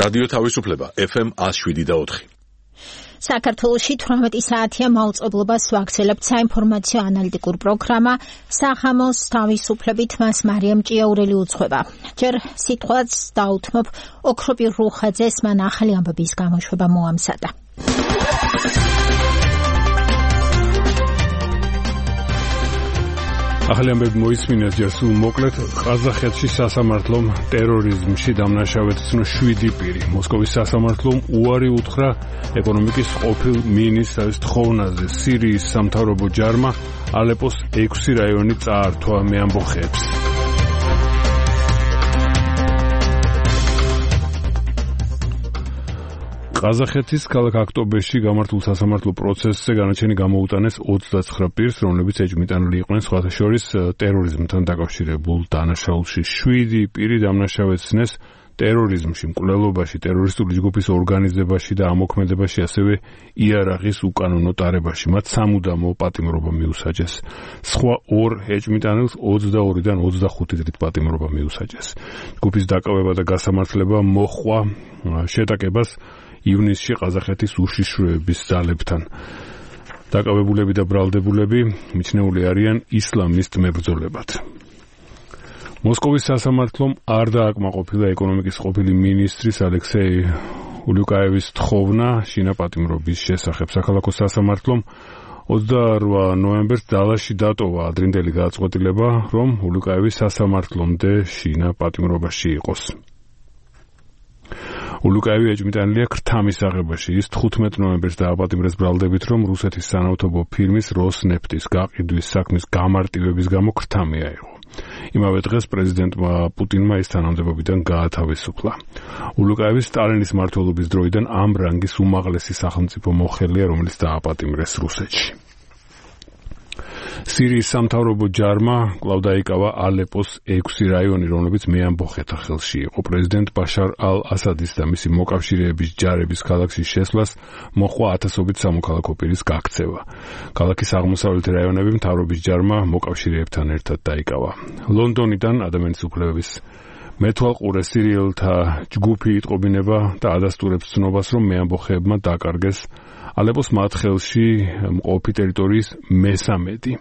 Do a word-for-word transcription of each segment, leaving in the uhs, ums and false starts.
რადიო თავისუფლება ეფ ემ one oh seven point four. საქართველოში თვრამეტი საათია მაუწყებლობას ვაგრძელებთ საინფორმაციო ანალიტიკურ პროგრამა სახამოს თავისუფლებით მას მარიამ ჭიაურელი უძღვება. ჯერ სიტყვაც დაუთმობ ოქროპირ რუხაძეს, მან ახალი ამბების გამოშვება მოამზადა. ახალი ამბები მოისმინეთ ჯერ სულ მოკლედ. ყაზახეთში სასამართლომ ტერორიზმში დამნაშავედ ცნო შვიდი პირი. მოსკოვის სასამართლომ უარი უთხრა ეკონომიკის ყოფილ მინისტრს თხოვნაზე. სირიის სამთავრობო ჯარმა ალეპოს ექვსი რაიონი წაართვა მეამბოხეებს. ყაზახეთის ქალაქ ოქტომბერში გამართულ სასამართლო პროცესზე განაჩენი გამოუტანეს ოცდაცხრა პირს, რომლებიც ეჭვმიტანილი იყვნენ სხვათა შორის ტერორიზმთან დაკავშირებულ დანაშაულში. შვიდი პირი დამნაშავეცნეს ტერორიზმში, მკვლელობაში, ტერორისტული ჯგუფის ორგანიზებაში და ამოქმედებაში, ასევე იარაღის უკანონო ტარებაში. მათ სამუდამო პატიმრობა მიუსაჯეს. სხვა ორ ეჭვმიტანილს ოცდაორიდან ოცდახუთი დღით პატიმრობა მიუსაჯეს. ჯგუფის დაკავება და გასამართლება მოჰყვა შეტაკებას ივნისში ყაზახეთის უშიშროების ძალებთან. დაკავებულები და ბრალდებულები მიჩნეული არიან ისლამისტ მებრძოლებად. მოსკოვის სასამართლომ არ დააკმაყოფილა ეკონომიკის ყოფილი მინისტრის ალექსეი ულიუკაევის თხოვნა შინა პატიმრობის შესახებ. საქალაქო სასამართლომ ოცდაორი ნოემბერს დალაში დატოვა ადრინდელი გადაწყვეტილება, რომ ულიუკაევის სასამართლომდე შინა პატიმრობაში იყოს. ულიუკაევი ეჭვმიტანილია ქრთამის აღებაში. ის თხუთმეტ ნოემბერს დააპატიმრეს ბრალდებით, რომ რუსეთის სანავთობო ფირმის როსნეფტის გაყიდვის საქმის გამარტივების გამო ქრთამი აიღო. იმავე დღეს პრეზიდენტმა პუტინმა ის თანამდებობიდან გაათავისუფლა. ულიუკაევის სტალინის მმართველობის დროიდან ამ რანგის უმაღლესი სახელმწიფო მოხელეა, რომელიც დააპატიმრეს რუსეთში. სირიის სამთავრობო ჯარმა კვლავ დაიკავა ალეპოს ექვსი რაიონი, რომლებიც მეამბოხეთა ხელში იყო. პრეზიდენტ ბაშარ ალ-ასადის და მისი მოკავშირეების ჯარების ქალაქში შესვლას მოჰყვა ათასობით სამოქალაქო პირის გაქცევა. ქალაქის აღმოსავლეთი რაიონები მთავრობის ჯარმა მოკავშირეებთან ერთად დაიკავა. ლონდონიდან ადამიანის უფლებების მეთვალყურე სირიელთა ჯგუფი იტყობინება და ადასტურებს ცნობას, რომ მეამბოხეებმა დაკარგეს ალეპოს მათ ხელში მყოფი ტერიტორიის მესამედი.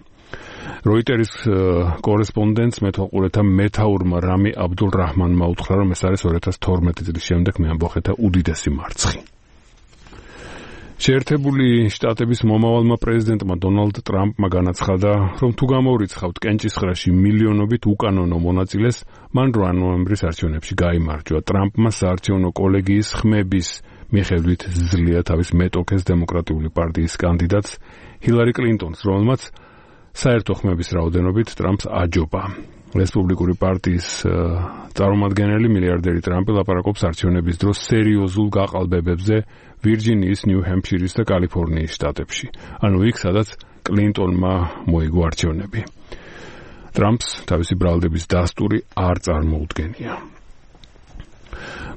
როიტერის კორესპონდენტს მეთვალყურეთა მეთაურმა რამი აბდულ რაჰმანმა უთხრა, რომ ეს არის ორი ათას თორმეტი წლის შემდეგ მეამბოხეთა უდიდესი მარცხი. შეერთებული შტატების მომავალმა პრეზიდენტმა დონალდ ტრამპმა განაცხადა, რომ თუ გამოურიცხავთ კენჭისყრაში მილიონობით უკანონო მონაწილეს, მან რვა ნოემბრის არჩევნებში გაიმარჯვა. ტრამპმა საარჩევნო კოლეგიის ხმების მიხედვით ზლია თავის მეტოქეს დემოკრატიული პარტიის კანდიდატს ჰილარი კლინტონს, რომელმაც საერთო ხმების რაოდენობით ტრამპს აჯობა. რესპუბლიკური პარტიის წარმომადგენელი მილიარდერი ტრამპი ლაპარაკობს არჩევნების დროს სერიოზულ გაყალბებებზე ვირჯინიის, ნიუ-ჰემფშირის და კალიფორნიის შტატებში. ანუ იქ, სადაც კლინტონმა მოიგო არჩევნები. ტრამპს თავისი ბრალდების დასტური არ წარმოუდგენია.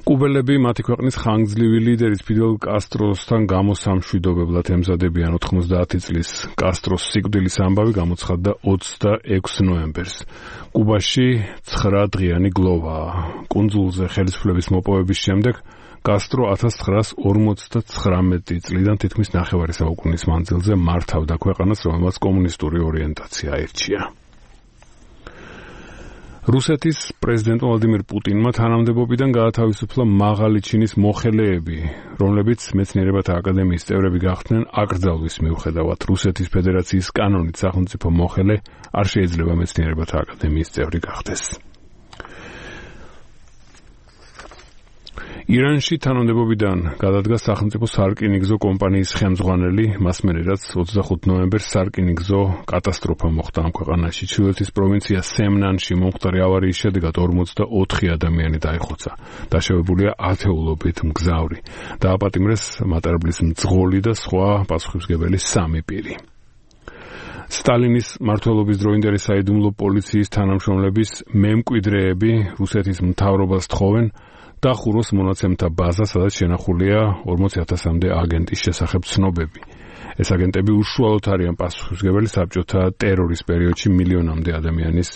კუბელები მათი ქვეყნის ხანგრძლივი ლიდერის ფიდელ კასტროსთან გამოსამშვიდობებლად ემზადებიან. ოთხმოცდაათი წლის კასტროს სიკვდილის ამბავი გამოცხადდა ოცდაექვსი ნოემბერს. კუბაში ცხრა დღიანი გლოვაა. კუნძულზე ხელისუფლების მოპოვების შემდეგ კასტრო ათას ცხრაას ორმოცდათხრამეტი წლიდან თითქმის ნახევარი საუკუნის მანძილზე მართავდა ქვეყანას, რომელმაც კომუნისტური ორიენტაცია აირჩია. რუსეთის პრეზიდენტ ვლადიმირ პუტინმა თანამდებობიდან გაათავისუფლა მაღალი ჩინის მოხელეები, რომლებიც მეცნიერებათა აკადემიის წევრები გახდნენ აკრძალვის მიუხედავად. რუსეთის ფედერაციის კანონით სახელმწიფო მოხელე არ შეიძლება მეცნიერებათა აკადემიის წევრი გახდეს. ირანში თანამდებობიდან გადადგა სახელმწიფო სარკინიგზო კომპანიის ხელმძღვანელი, მასმენე რაც ოცდახუთი ნოემბერს სარკინიგზო კატასტროფა მოხდა ამ ქვეყანაში. ჩრდილოეთის პროვინცია სემნანში მომხდარი ავარიის შედეგად ორმოცდაოთხი ადამიანი დაიხოცა. დაშავებულია ათეულობით მგზავრი. დააპატიმრეს მატარებლის მძღოლი და სხვა პასუხისმგებელი სამი პირი. სტალინის მმართველობის დროინდელი საიდუმლო პოლიციის თანამშრომლების მემკვიდრეები რუსეთის მთავრობას თხოვენ დახუროს მონაცემთა ბაზა, სადაც შენახულია ორმოცი ათასამდე აგენტის შესახებ ცნობები. ეს აგენტები უშუალოდ არიან პასუხისმგებელი საბჭოთა ტერორის პერიოდში მილიონამდე ადამიანის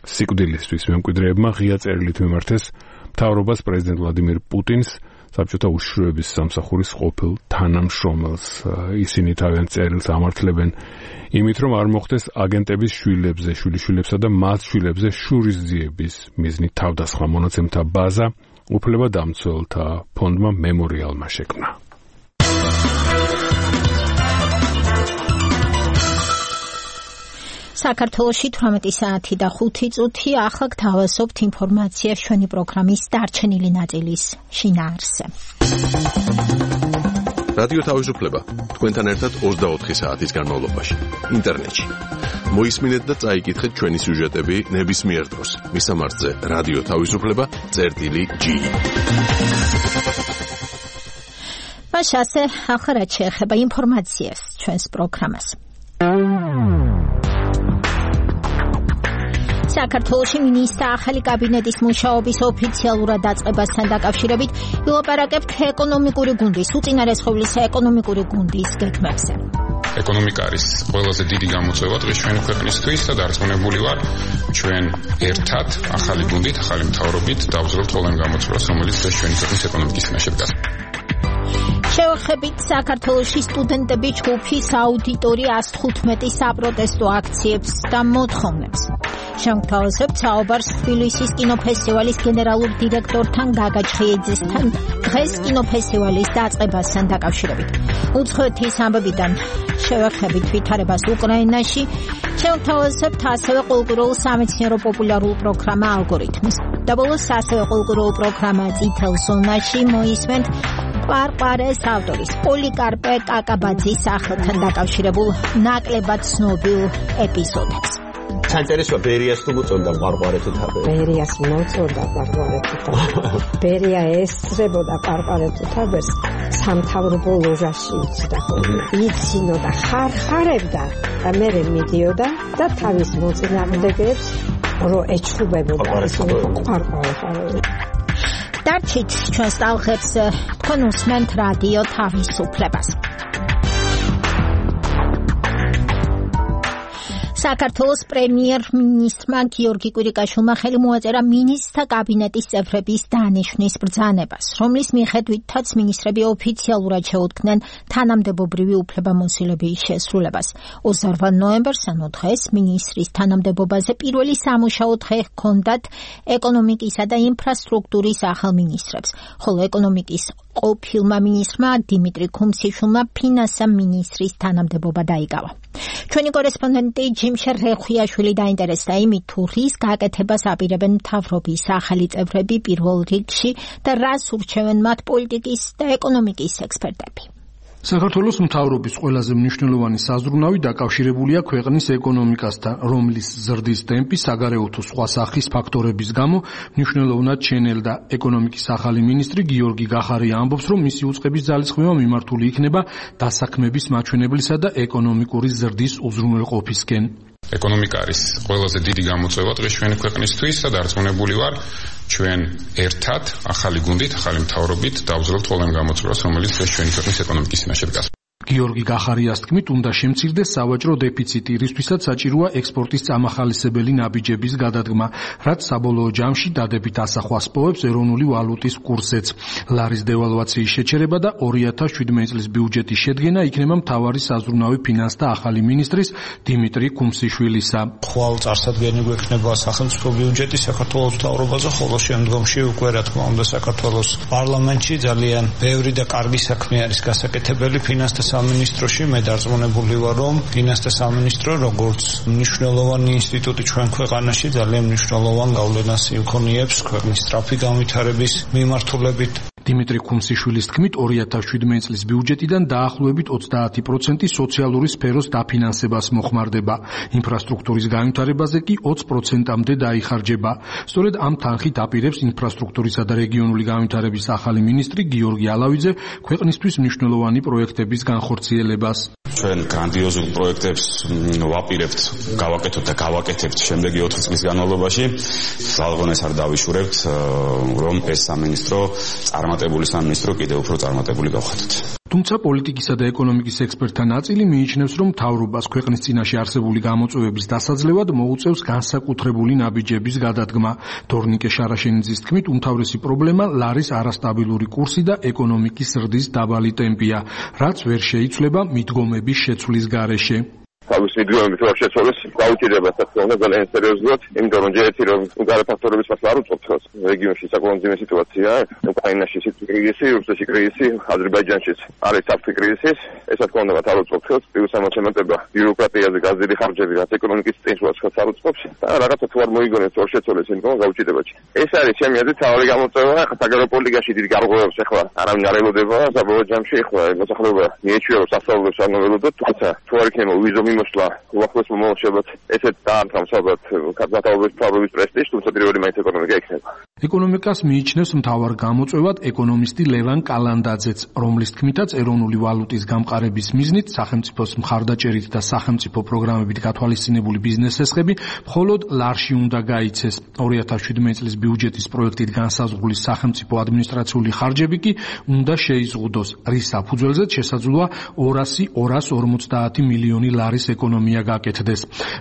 სიკვდილისთვის. მემკვიდრეებმა ღია წერილით მიმართეს მთავრობას პრეზიდენტ ვლადიმირ პუტინს საბჭოთა უშიშროების სამსახურის ყოფილ თანამშრომელს. ისინი თავიანთ წერილს ამართლებენ იმით, რომ არ მოხდეს აგენტების შვილებზე, შვილიშვილებსა და მათ შვილებზე შურისძიების მიზნით თავდასხმა მონაცემთა ბაზა უფლებადამცველთა ფონდმა მემორიალმა შექმნა. საქართველოში თვრამეტი საათი და ხუთი წუთი ახლა გთავაზობთ ინფორმაციას ჩვენი პროგრამის დარჩენილი ნაწილის შინაარსზე. რადიო თავისუფლება თქვენთან ერთად ოცდაოთხი საათის განმავლობაში ინტერნეტში. მოისმინეთ და წაიკითხეთ ჩვენი სიუჟეტები ნებისმიერ დროს. მისამართზე რადიო თავისუფლება წერტილი ჯი. მაშ ასე ახლა რაც შეეხება ინფორმაციას ჩვენს პროგრამას. საქართველოში მინისტრთა ახალი კაბინეტის მუშაობის ოფიციალურად დაწყებასთან დაკავშირებით ვილაპარაკებთ ეკონომიკური გუნდის, უწინარესხოვლისა ეკონომიკური გუნდის გეგმებზე. ეკონომიკა არის ყველაზე დიდი გამოწვევა დღეს ჩვენი ქვეყნისთვის და დარწმუნებული ვარ, ჩვენ ერთად ახალი გუნდით, ახალი მთავრობით დავუძლოთ ყველამ გამოწვევას, რომელიც დღეს ჩვენი ქვეყნის ეკონომიკის წინაშე დგას. შევეხებით საქართველოში სტუდენტები ჯგუფის აუდიტორი ასი თხუთმეტი საპროტესტო აქციებს და მოთხოვნებს. შევთავაზებთ საუბარს თბილისის კინოფესტივალის გენერალურ დირექტორთან გაგა ჩხიეძესთან დღეს კინოფესტივალის დაწყებასთან დაკავშირებით. უცხოეთის ამბებიდან შევეხებით ვითარებას უკრაინაში. შევთავაზებთ ასევე კულტურულ სამეცნიერო პოპულარულ პროგრამა ალგორითმს. და ბოლოს ასევე კულტურულ პროგრამა წითელ ზონაში მოისმენთ ყვარყვარეს ავტორის პოლიკარპე კაკაბაძის სახელთან დაკავშირებულ ნაკლებად ცნობილ ეპიზოდებს. საინტერესოა ბერიას თუ მოწონდა ყვარყვარე თუ თაბერი. ბერიას მოწონდა ყვარყვარე თუ თაბერი. ბერია ესწრებოდა ყვარყვარე თუ თაბერს სამთავრობო ლოჟაში იცდა ხოლმე. იცინოდა ხარხარებდა და მე მიდიოდა და თავის მოწინააღმდეგეებს რო ეჩხუბებოდა ყვარყვარე. დარჩით ჩვენს ტალღებს, თქვენ უსმენთ რადიო თავისუფლებას. საქართველოს პრემიერ-მინისტრმა გიორგი კვირიკაშვილმა ხელი მოაწერა მინისტრთა კაბინეტის წევრების დანიშვნის ბრძანებას, რომლის მიხედვითაც მინისტრები ოფიციალურად შეუდგნენ თანამდებობრივი უფლებამოსილების შესრულებას. ოცდაოთხ ნოემბერს, ანუ დღეს, მინისტრის თანამდებობაზე პირველი სამუშაო დღე ჰქონდათ ეკონომიკისა და ინფრასტრუქტურის ახალ მინისტრებს, ხოლო ეკონომიკის ყოფილმა მინისტრმა დიმიტრი ქუმსიშვილმა ფინანსთა მინისტრის თანამდებობა დაიკავა. ჩვენი კორესპონდენტი ჯიმშე რეხვიაშვილი დაინტერესდა იმით, თუ რის გაკეთებას აპირებენ მთავრობის ახალი წევრები პირველ რიგში და რას ურჩევენ მათ პოლიტიკის და ეკონომიკის ექსპერტები. საქართველოს მთავრობის ყველაზე მნიშვნელოვანი საზრუნავი დაკავშირებულია ქვეყნის ეკონომიკასთან, რომლის ზრდის ტემპი საგარეო თუ სხვა სახის ფაქტორების გამო მნიშვნელოვნად ჩენელდა. ეკონომიკის ახალი მინისტრი გიორგი გახარია ამბობს, რომ მისი უწყების ძალისხმევა მიმართული იქნება დასაქმების მაჩვენებლისა და ეკონომიკური ზრდის უზრუნველყოფისკენ. ეკონომიკა არის ყველაზე დიდი გამოწვევა დღეს ჩვენი ქვეყნისთვის და დარწმუნებული ვარ, ჩვენ ერთად ახალი გუნდით, ახალი მთავრობით დავუძლოთ ყველამ გამოწვევას, რომელიც დღეს ჩვენი ქვეყნის ეკონომიკის წინაშე დგას. გიორგი გახარიას თქმით, უნდა შემცირდეს სავაჭრო დეფიციტი, რისთვისაც საჭიროა ექსპორტის წამახალისებელი ნაბიჯების გადადგმა, რაც საბოლოო ჯამში დადებით ასახვას პოვებს ეროვნული ვალუტის კურსზეც. ლარის დევალვაციის შეჩერება და ორი ათას შვიდმეტი წლის ბიუჯეტის შედგენა იქნება მთავარი საზრუნავი ფინანსთა ახალი მინისტრის დიმიტრი ქუმსიშვილისა. ხვალ წარსადგენი გვექნება სახელმწიფო ბიუჯეტი საქართველოს მთავრობაზე, ხოლო შემდგომში უკვე რა თქმა უნდა საქართველოს პარლამენტში ძალიან ბევრი და კარგი საქმე არის გასაკეთებელი ფინანსთა სამინისტროში. მე დარწმუნებული ვარ, რომ ფინანსთა სამინისტრო როგორც მნიშვნელოვანი ინსტიტუტი ჩვენ ქვეყანაში ძალიან მნიშვნელოვან გავლენას იქონიებს ქვეყნის სწრაფი განვითარების მიმართულებით. დიმიტრი ქუმსიშვილის თქმით, ორი ათას შვიდმეტი წლის ბიუჯეტიდან დაახლოებით ოცდაათი პროცენტი სოციალური სფეროს დაფინანსებას მოხმარდება. ინფრასტრუქტურის განვითარებაზე კი ოცი პროცენტამდე დაიხარჯება. სწორედ ამ თანხით აპირებს ინფრასტრუქტურისა და რეგიონული განვითარების ახალი მინისტრი გიორგი ალავიძე ქვეყნისთვის მნიშვნელოვანი პროექტების განხორციელებას. ჩვენ გრანდიოზულ პროექტებს ვაპირებთ, გავაკეთოთ და გავაკეთებთ შემდეგი ოთხი წლის განმავლობაში. ზალღონეს არ დავიშურებთ, რომ ეს სამინისტრო წარმატებით წარმატებული სამინისტრო კიდევ უფრო წარმატებული გავხადოთ. თუმცა პოლიტიკისა და ეკონომიკის ექსპერტთა ნაწილი მიიჩნევს, რომ მთავრობას ქვეყნის წინაშე არსებული გამოწვევების დასაძლევად მოუწევს განსაკუთრებული ნაბიჯების გადადგმა. თორნიკე შარაშენიძის თქმით, უმთავრესი პრობლემა ლარის არასტაბილური კურსი და ეკონომიკის ზრდის დაბალი ტემპია, რაც ვერ შეიცვლება მიდგომების შეცვლის გარეშე. თავის მიდგომებით ვერ შეცვალეს გაუჭირდება საქართველოს ძალიან სერიოზულად, იმიტომ რომ ჯერეთი რომ გარე ფაქტორების მასლა არ უწყობს რეგიონში საკმაოდ ძიმე სიტუაცია, უკრაინაში კრიზისი, რუსეთში კრიზისი, აზერბაიჯანშიც არის საფრთხე კრიზისის, ესა თქმა უნდა არ უწყობს, პლუს ამოცემატება ბიუროკრატიაზე გაზრდილი ხარჯები, რაც ეკონომიკის წინსვლას არ უწყობს და რაღაცა თუ არ მოიგონებს ვერ შეცვალეს იმიტომ გაუჭირდება. ეს არის ჩემი აზრით თავი გამოწვევა, საგარეო პოლიტიკაში დიდი გარღვევებს ახლა არავინ არ ელოდება, საბოლოო ჯამში ახლა მოსახლეობა მიეჩვევა სასწავლებლებს არ მოველოდოთ, თუმცა თუ არ იქნება ვიზო მოსლა უახლოეს მომავალშობად ესეთ დაამთავრებს ალბათ კაპიტალების ფაბრიკის პრესტიჟს, თუმცა პირველი მაინც ეკონომიკა იქნება. ეკონომიკას მიიჩნევს მთავარ გამოწვევად ეკონომისტი ლევან კალანდაძეც, რომლის თქმითაც ეროვნული ვალუტის გამყარების მიზნით სახელმწიფოს მხარდაჭერით და სახელმწიფო პროგრამებით გათვალისწინებული ბიზნეს ესხები მხოლოდ ლარში უნდა გაიცეს. ორი ათას შვიდმეტი წლის ბიუჯეტის პროექტით განსაზღვრული სახელმწიფო ადმინისტრაციული ხარჯები კი უნდა შეიზღუდოს, რის საფუძველზეც შესაძლოა ორასი ორას ორმოცდაათი მილიონი ლარის ეკონომია გაკეთდეს.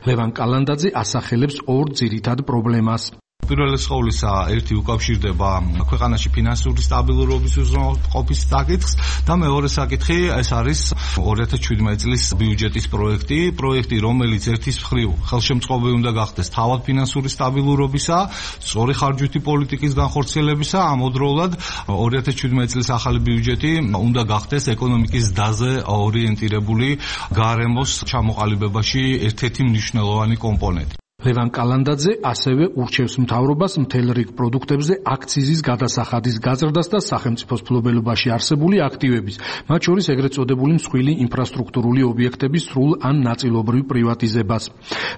ლევან კალანდაძე ასახელებს ორ ძირითად პრობლემას. პირველი ყოვლისა ერთი უკავშირდება ქვეყანაში ფინანსური სტაბილურობის უზრუნველყოფის საკითხს და მეორე საკითხი ეს არის ორი ათას შვიდმეტი წლის ბიუჯეტის პროექტი, პროექტი რომელიც ერთის მხრივ ხელშემწყობი უნდა გახდეს თავად ფინანსური სტაბილურობისა, სწორი ხარჯვითი პოლიტიკის განხორციელებისა, ამავდროულად ორი ათას შვიდმეტი წლის ახალი ბიუჯეტი უნდა გახდეს ეკონომიკის დაზე ორიენტირებული გარემოს ჩამოყალიბებაში ერთ-ერთი მნიშვნელოვანი კომპონენტი. ლევან კალანდაძე ასევე ურჩევს მთავრობას მთელ რიგ პროდუქტებზე აქციზის გადასახადის გაზრდას და სახელმწიფოს მფლობელობაში არსებული აქტივების, მათ შორის ეგრეთ წოდებული მსხვილი ინფრასტრუქტურული ობიექტების სრულ ან ნაწილობრივ პრივატიზებას.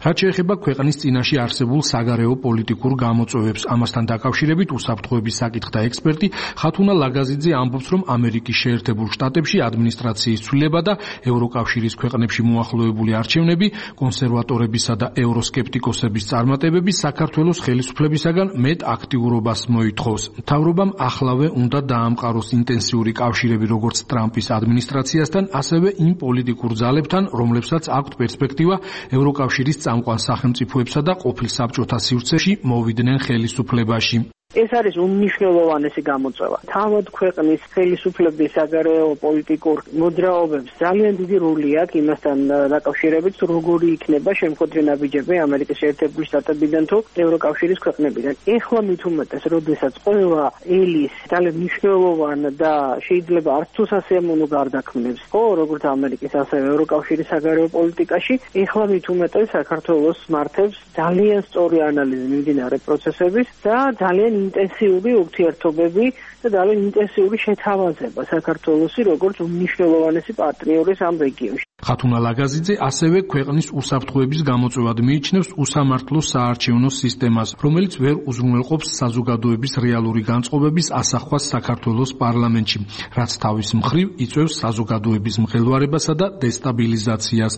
რაც შეეხება ქვეყნის წინაშე არსებულ საგარეო პოლიტიკურ გამოწვევებს, ამასთან დაკავშირებით უსაფრთხოების საკითხთა ექსპერტი ხათუნა ლაგაზიძე ამბობს, რომ ამერიკის შეერთებულ შტატებში ადმინისტრაციის ცვლილება და ევროკავშირის ქვეყნებში მოახლოებული არჩევნები კონსერვატორებისა და ევროსკეპტიკოსების წარმატებები საქართველოს ხელისუფლებისაგან მეტ აქტიურობას მოითხოვს. მთავრობამ ახლავე უნდა დაამყაროს ინტენსიური კავშირები როგორც ტრამპის ადმინისტრაციასთან, ასევე იმ პოლიტიკურ ძალებთან, რომლებსაც აქვთ პერსპექტივა ევროკავშირის წამყვან სახელმწიფოებსა და ყოფილ საბჭოთა სივრცეში მოვიდნენ ხელისუფლებაში. ეს არის უმნიშვნელოვანესი გამოწვევა. თავად ქვეყნის ხელისუფლების საგარეო პოლიტიკურ მოძრაობებს ძალიან დიდი როლი აქვს იმასთან დაკავშირებით, როგორი იქნება შემოქმედი ნაბიჯები ამერიკის შეერთებული შტატებიდან თუ ევროკავშირის ქვეყნებიდან. ეხლა მით უმეტეს, როდესაც ყველა ელის ძალიან მნიშვნელოვანი და შეიძლება არც თუ სასიამოვნო გარდაქმნებს, ხო, როგორც ამერიკის, ასევე ევროკავშირის საგარეო პოლიტიკაში, ეხლა მით უმეტეს საქართველოს მართებს ძალიან სწორი ანალიზი მიმდინარე პროცესების და ძალიან ინტენსიური ურთიერთობები და ძალიან ინტენსიური შეთავაზება საქართველოსი როგორც უმნიშვნელოვანესი პარტნიორის ამ რეგიონში. ხათუნა ლაგაზიძე ასევე ქვეყნის უსაფრთხოების გამოწვევად მიიჩნევს უსამართლო საარჩევნო სისტემას, რომელიც ვერ უზრუნველყოფს საზოგადოების რეალური განწყობების ასახვას საქართველოს პარლამენტში, რაც თავის მხრივ იწვევს საზოგადოების მღელვარებასა და დესტაბილიზაციას.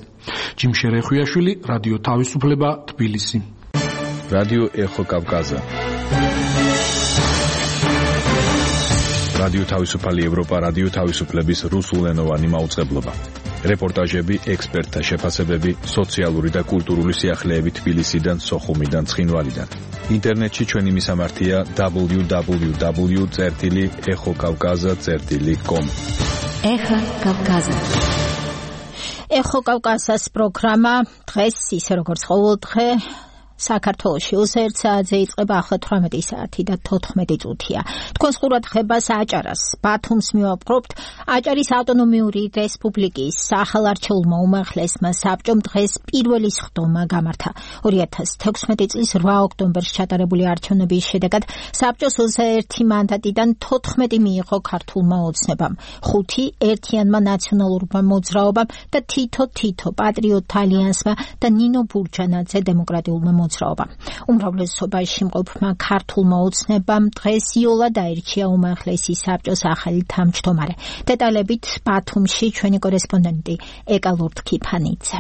ჯიმშე რეხვიაშვილი, რადიო თავისუფლება, თბილისი. რადიო ეხო კავკაზა. რადიო თავისუფალი ევროპა, რადიო თავისუფლების რუსულენოვანი მაუწყებლობა. რეპორტაჟები, ექსპერტთა შეფასებები, სოციალური და კულტურული სიახლეები თბილისიდან, სოხუმიდან, ცხინვალიდან. ინტერნეტში ჩვენი მისამართია დაბლიუ დაბლიუ დაბლიუ წერტილი ეხო კავკაზა წერტილი კომ. ეხო კავკაზა. ეხო კავკაზას პროგრამა დღეს ისე როგორც ყოველდღე საქართველოში ოცდაერთ საათზე იწყება, ახლა თვრამეტი საათი და თოთხმეტი წუთია. თქვენს ყურადღებას აჭარას, ბათუმს მივაპყრობთ. აჭარის ავტონომიური რესპუბლიკის ახალარჩეულმა უმაღლესმა საბჭომ დღეს პირველი სხდომა გამართა. ორი ათას თექვსმეტი წლის რვა ოქტომბერს ჩატარებული არჩევნების შედეგად საბჭოს ოცდაერთი მანდატიდან თოთხმეტი მიიღო ქართულმა ოცნებამ, ხუთი ერთიანმა ნაციონალურმა მოძრაობამ და თითო-თითო პატრიოტთა ალიანსმა და ნინო ბურჯანაძე დემოკრატიულმა მოძრაობამ. უმრავლესობაში მყოფმა ქართულმა ოცნებამ დღეს იოლა დაირჩია უმაღლესი საბჭოს ახალი თავმჯდომარე. დეტალებით ბათუმში ჩვენი კორესპონდენტი ეკა ლურთქიფანიძე.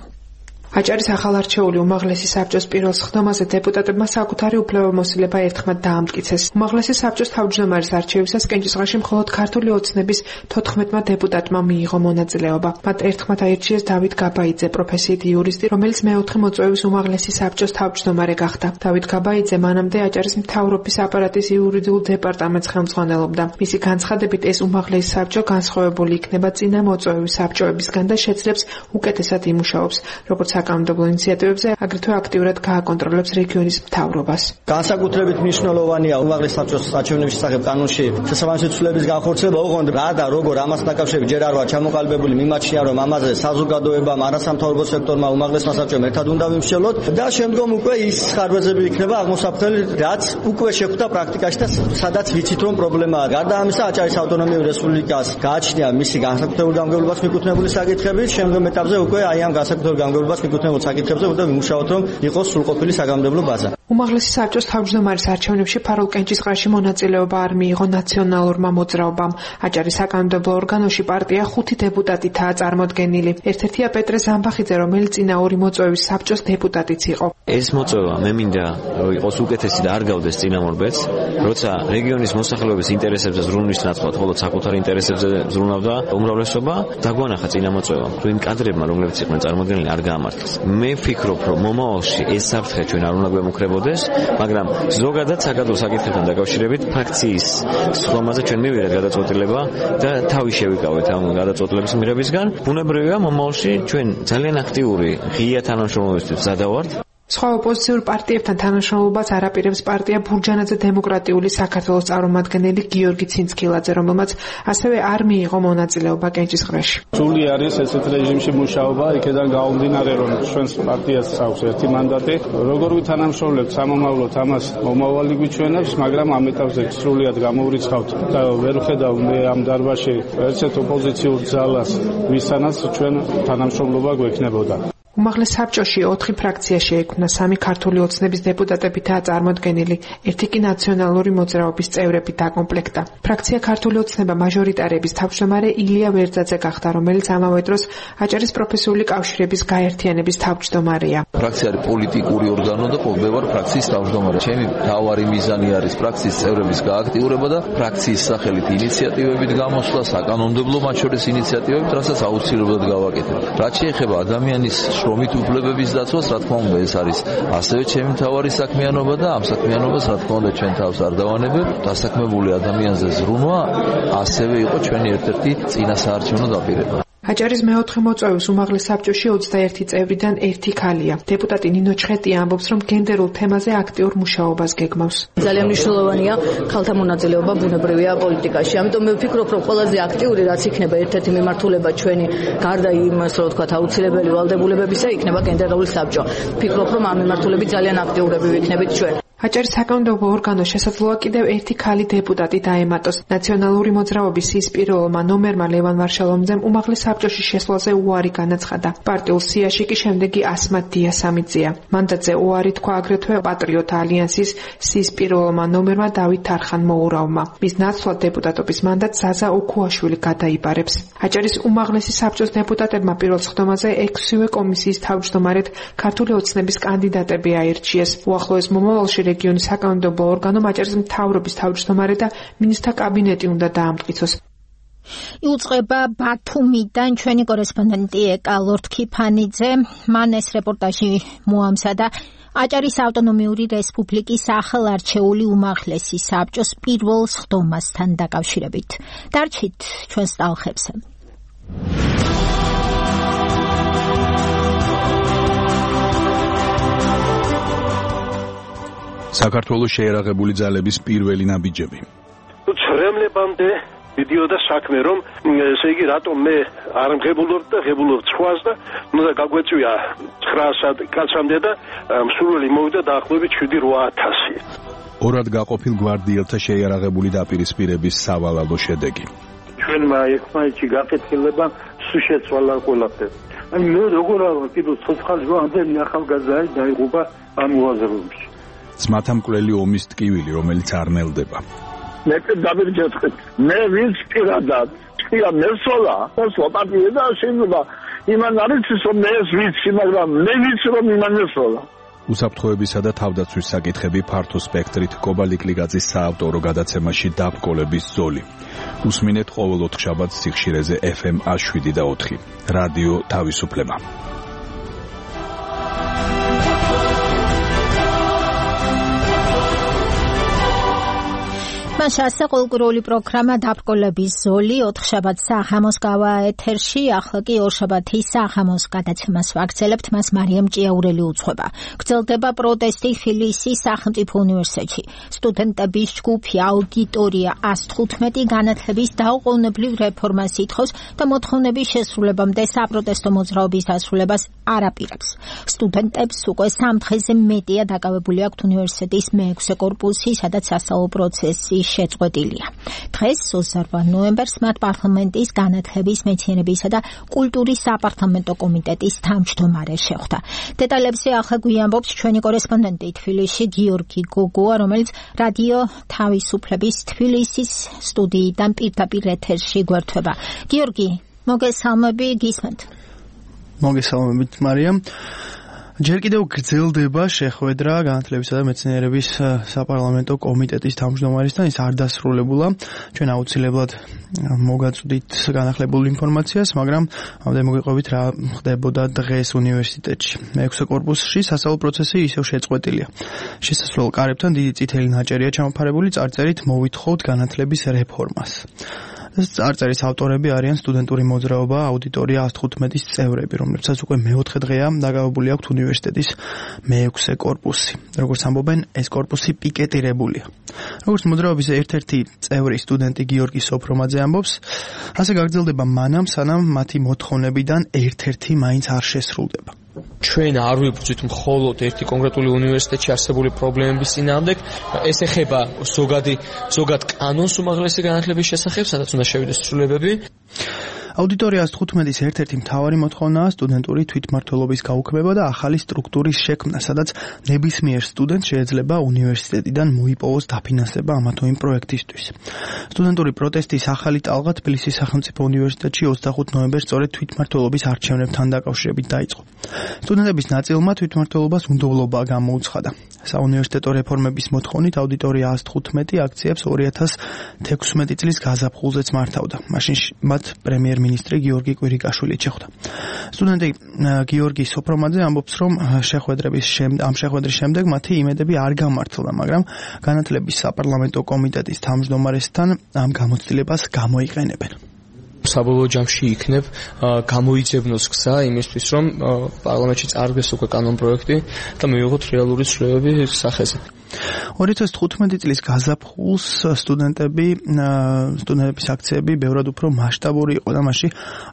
აჭარის ახალარჩეული უმაღლესი საბჭოს პირველ სხდომაზე დეპუტატებმა საკუთარი უფლებამოსილება ერთხმად დაამტკიცეს. უმაღლესი საბჭოს თავმჯდომარის არჩევისას კენჭისყრაში მხოლოდ ქართული ოცნების თოთხმეტმა დეპუტატმა მიიღო მონაწილეობა. მათ ერთხმად აირჩიეს დავით გაბაიძე, პროფესიით იურისტი, რომელიც მეოთხე მოწვევის უმაღლესი საბჭოს თავმჯდომარე გახდა. დავით გაბაიძე მანამდე აჭარის მთავრობის აპარატის იურიდიულ დეპარტამენტს ხელმძღვანელობდა. მისი განცხადებით ეს უმაღლესი საბჭო განსხვავებული იქნება წინა მოწვევის საბჭოებისგან და შეძლებს უკეთესად იმუშაობს, როგორც საკანონმდებლო ინიციატივებზე, აგრეთვე აქტიურად გააკონტროლებს რეგიონის მთავრობას. განსაკუთრებით მნიშვნელოვანია უმაღლეს საბჭოს არჩევნების შესახებ კანონში შესაბამისი ცვლილების განხორციელება, ოღონდ რა და როგორ ამას დაკავშირებით ჯერ არ ვარ ჩამოყალიბებული, მიმაჩნია რომ ამაზე საზოგადოებამ, არასამთავრობო სექტორმა, უმაღლესმა საბჭომ ერთად უნდა ვიმსჯელოთ და შემდგომ უკვე ის ხარვეზები იქნება აღმოსაფრთხელი, რაც უკვე შეხვდა პრაქტიკაში და სადაც ვიცით რომ პრობლემაა. გარდა ამისა, აჭარის ავტონომიური რესპუბლიკას გააჩნია მისი განსაკუთრებული გამგებლობას მიკუთვნებული საკითხებით, შემდგომ ეტაპზე უკვე აი ამ განსაკუთრებული გამგებლობას მიკუთვნებულ საკითხებზე უნდა ვიმუშაოთ, რომ იყოს სრულყოფილი საკანონმდებლო ბაზა. უმაღლესი საბჭოს თავმჯდომარის არჩევნებში ფარულ კენჭისყრაში მონაწილეობა არ მიიღო ნაციონალურმა მოძრაობამ. აჭარის საკანონმდებლო ორგანოში პარტია ხუთი დეპუტატითაა წარმოდგენილი. ერთ-ერთია პეტრე ზამბახიძე, რომელიც წინა ორი მოწვევის საბჭოს დეპუტატიც იყო. ეს მოწვევა მე მინდა რომ იყოს უკეთესი და არ გავდეს წინამორბედს, როცა რეგიონის მოსახლეობის ინტერესებზე ზრუნვის ნაცვლად მხოლოდ საკუთარი ინტერესებზე ზრუნავდა უმრავლესობა, დაგვანახა წინა მოწვევა, რომ იმ კადრებმა, რომლებიც იყვნენ წარმოდგენილი, არ გაამართლეს. მე ვფიქრობ, რომ მომავალში ეს საფრთხე ჩვენ არ უნდა გვემუქრებოდეს, მაგრამ ზოგადად საკადრო საკითხებთან დაკავშირებით ფრაქციის სხდომაზე ჩვენ მივიღეთ გადაწყვეტილება და თავი შევიკავეთ ამ გადაწყვეტილების მიღებისგან. ბუნებრივია მომავალში ჩვენ ძალიან აქტიური ღია თანამშრომლობისთვის მზადა ვართ. სხვა ოპოზიციურ პარტიებთან თანამშრომლობას არ აპირებს პარტია ბურჯანაძე დემოკრატიული საქართველოს წარმომადგენელი გიორგი ცინცქილაძე, რომელმაც ასევე არ მიიღო მონაწილეობა კენჭისყრაში. სრული არის ესეთ რეჟიმში მუშაობა, იქიდან გამომდინარე, რომ ჩვენს პარტიას აქვს ერთი მანდატი. როგორ ვითანამშრომლებთ სამომავლოდ, ამას მომავალი გვიჩვენებს, მაგრამ ამ ეტაპზე სრულიად გამოვრიცხავთ და ვერ ვხედავ მე ამ დარბაზში ერთ ოპოზიციურ ძალას, ვისთანაც ჩვენ თანამშრომლობა გვექნებოდა. უმაღლეს საბჭოში ოთხი ფრაქცია შეექმნა, სამი ქართული ოცნების დეპუტატებითაა წარმოდგენილი, ერთი კი ნაციონალური მოძრაობის წევრები დაკომპლექტდა. ფრაქცია ქართული ოცნება მაჟორიტარების თავმჯდომარე ილია ვერძაძე გახდა, რომელიც ამავე დროს აჭარის პროფესიული კავშირების გაერთიანების თავმჯდომარეა. ფრაქცია არის პოლიტიკური ორგანო და მე ვარ ფრაქციის თავმჯდომარე. ჩემი მთავარი მიზანი არის ფრაქციის წევრების გააქტიურება და ფრაქციის სახელით ინიციატივებით გამოსვლა, საკანონმდებლო მათ შორის ინიციატივებით, რასაც აუცილებლად გავაკეთებ. რაც შეეხება ადამიანის შრომით უფლებების დაცვას, რა თქმა უნდა, ეს არის ასევე ჩემი მთავარი საქმიანობა და ამ საქმიანობას, რა თქმა უნდა, ჩვენ თავს არ დავანებებ. დასაქმებული ადამიანზე ზრუნვა ასევე იყო ჩვენი ერთ-ერთი წინასაარჩევნო დაპირება. აჭარის მეოთხე მოწვევის უმაღლეს საბჭოში ოცდაერთი წევრიდან ერთი ქალია. დეპუტატი ნინო ჩხეტია ამბობს, რომ გენდერულ თემაზე აქტიურ მუშაობას გეგმავს. ძალიან მნიშვნელოვანია ქალთა მონაწილეობა ბუნებრივია პოლიტიკაში. ამიტომ მე ვფიქრობ, რომ ყველაზე აქტიური რაც იქნება ერთ-ერთი მიმართულება ჩვენი გარდა იმ, ასე რომ ვთქვათ, აუცილებელი ვალდებულებებისა, იქნება გენდერული საბჭო. ვფიქრობ, რომ ამ მიმართულებით ძალიან აქტიურები ვიქნებით ჩვენ. აჭარის საკანონმდებლო ორგანოს შესაძლოა კიდევ ერთი ქალი დეპუტატი დაემატოს. ნაციონალური მოძრაობის ის პირველმა ნომერმა ლევან ვარშალომძემ უმაღლეს საბჭოში შესვლაზე უარი განაცხადა. პარტიულ სიაში კი შემდეგი ასმათ დიასამიძეა. მანდატზე უარი თქვა აგრეთვე პატრიოტ ალიანსის სის პირველმა ნომერმა დავით თარხან-მოურავმა. მის ნაცვლად დეპუტატობის მანდატს ზაზა ოქუაშვილი გადაიბარებს. აჭარის უმაღლესი საბჭოს დეპუტატებმა პირველ სხდომაზე ექვსივე კომისიის თავმჯდომარედ ქართული ოცნების კანდიდატები აირჩიეს. უახლოეს მომავალში რეგიონის საკანონმდებლო ორგანომ აჭარის მთავრობის თავმჯდომარე და მინისტრთა კაბინეტი უნდა დაამტკიცოს. იუწყება ბათუმიდან ჩვენი კორესპონდენტი ეკა ლორთქიფანიძე, მან ეს რეპორტაჟი მოამზადა აჭარის ავტონომიური რესპუბლიკის ახალარჩეული უმაღლესი საბჭოს პირველ სხდომასთან დაკავშირებით. დარჩით ჩვენს ტალღებზე. საქართველოს შეერაღებული ძალების პირველი ნაბიჯები. ცრემლებამდე მიდიოდა საქმე, რომ ესე იგი რატომ მე არ მღებულობ და ღებულობ სხვას და უნდა გაგვეწვია ცხრაასად კაცამდე და მსურველი მოვიდა დაახლოებით შვიდი რვა ათასი. ორად გაყოფილ გვარდიელთა შეიარაღებული დაპირისპირების სავალალო შედეგი. ჩვენმა ერთმანეთში გაკეთილება სულ შეცვალა ყველაფერი. აი მე როგორ არა კიდევ ცოცხალი ამდენი ახალგაზრდა დაიღუპა ამ უაზროებში. ძმათა მკვლელი ომის ტკივილი, რომელიც არ ნელდება. მე დავირჯეთ მე ვინც პირადად პირა მესოლა მოსვლა პარტია და შეიძლება იმან არის რომ მე ეს ვიცი, მაგრამ მე ვიცი რომ იმან ესროლა. უსაფრთხოებისა და თავდაცვის საკითხები ფართო სპექტრით კობალი კლიგაძის საავტორო გადაცემაში დაბრკოლების ზოლი. უსმინეთ ყოველ ოთხშაბათს სიხშირეზე ეფ ემ შვიდ და ოთხი. რადიო თავისუფლება. მასა კულტურული პროგრამა დაბრკოლების ზოლი ოთხშაბათ საღამოს გავა ეთერში, ახლა კი ორშაბათი საღამოს გადაცემას ვაგრძელებთ, მას მარიამ ჭიაურელი უძღვება. გრძელდება პროტესტი თბილისის სახელმწიფო უნივერსიტეტში. სტუდენტების ჯგუფი აუდიტორია ას თხუთმეტი განათლების დაუყოვნებლივ რეფორმას ითხოვს და მოთხოვნების შესრულებამდე საპროტესტო მოძრაობის დასრულებას არ აპირებს. სტუდენტებს უკვე სამ დღეზე მეტია დაკავებული აქვთ უნივერსიტეტის მეექვსე კორპუსი, სადაც სასწავლო პროცესი შეწყვეტილია. დღეს ოცდაოთხ ნოემბერს მათ პარლამენტის განათლების, მეცნიერებისა და კულტურის საპარლამენტო კომიტეტის თავმჯდომარე შეხვდა. დეტალებზე ახლა გვიამბობს ჩვენი კორესპონდენტი თბილისში გიორგი გოგოა, რომელიც რადიო თავისუფლების თბილისის სტუდიიდან პირდაპირ ეთერში გვერდება. გიორგი, მოგესალმები, გისმენთ. მოგესალმებით, მარიამ. ჯერ კიდევ გრძელდება შეხვედრა განათლებისა და მეცნიერების საპარლამენტო კომიტეტის თავმჯდომარესთან, ის არ დასრულებულა. ჩვენ აუცილებლად მოგაწვდით განახლებულ ინფორმაციას, მაგრამ ამდენ მოგიყვებით რა ხდებოდა დღეს უნივერსიტეტში. მეექვსე კორპუსში სასწავლო პროცესი ისევ შეწყვეტილია. შესასვლელ კარებთან დიდი წითელი ნაჭერია ჩამოფარებული წარწერით მოვითხოვთ განათლების რეფორმას. წარწერის ავტორები არიან სტუდენტური მოძრაობა აუდიტორია ას თხუთმეტის წევრები, რომლებსაც უკვე მეოთხე დღეა დაკავებული აქვთ უნივერსიტეტის მეექვსე კორპუსი. როგორც ამბობენ, ეს კორპუსი პიკეტირებულია. როგორც მოძრაობის ერთ-ერთი წევრი სტუდენტი გიორგი სოფრომაძე ამბობს, ასე გაგრძელდება მანამ, სანამ მათი მოთხოვნებიდან ერთ-ერთი მაინც არ შესრულდება. ჩვენ არ ვიბრძვით მხოლოდ ერთი კონკრეტული უნივერსიტეტში არსებული პრობლემების წინააღმდეგ, ეს ეხება ზოგადი ზოგად კანონს უმაღლესი განათლების შესახებ, სადაც უნდა შევიდეს ცვლილებები. აუდიტორია ას თხუთმეტის ერთ-ერთი მთავარი მოთხოვნაა სტუდენტური თვითმმართველობის გაუქმება და ახალი სტრუქტურის შექმნა, სადაც ნებისმიერ სტუდენტს შეიძლება უნივერსიტეტიდან მოიპოვოს დაფინანსება ამა თუ იმ პროექტისთვის. სტუდენტური პროტესტის ახალი ტალღა თბილისის სახელმწიფო უნივერსიტეტში ოცდახუთ ნოემბერს სწორედ თვითმმართველობის არჩევნებთან დაკავშირებით დაიწყო. სტუდენტების ნაწილმა თვითმმართველობას უნდობლობა გამოუცხადა. საუნივერსიტეტო რეფორმების მოთხოვნით აუდიტორია ას თხუთმეტი აქციებს ორი ათას თექვსმეტი წლის გაზაფხულზეც მართავდა. მაშინ მათ პრემიერ მინისტრი გიორგი კვირიკაშვილი შეხვდა. სტუდენტი გიორგი სოფრომაძე ამბობს, რომ შეხვედრების ამ შეხვედრის შემდეგ მათი იმედები არ გამართლდა, მაგრამ განათლების საპარლამენტო კომიტეტის თავმჯდომარესთან ამ გამოცდილებას გამოიყენებენ. საბოლოო ჯამში იქნებ გამოიძებნოს გზა იმისთვის, რომ პარლამენტში წარდგეს უკვე კანონპროექტი და მივიღოთ რეალური ცვლილებები სახეზე. ორი ათას თხუთმეტი წლის გაზაფხულს სტუდენტები სტუდენტების აქციები ბევრად უფრო მასშტაბური იყო და მასში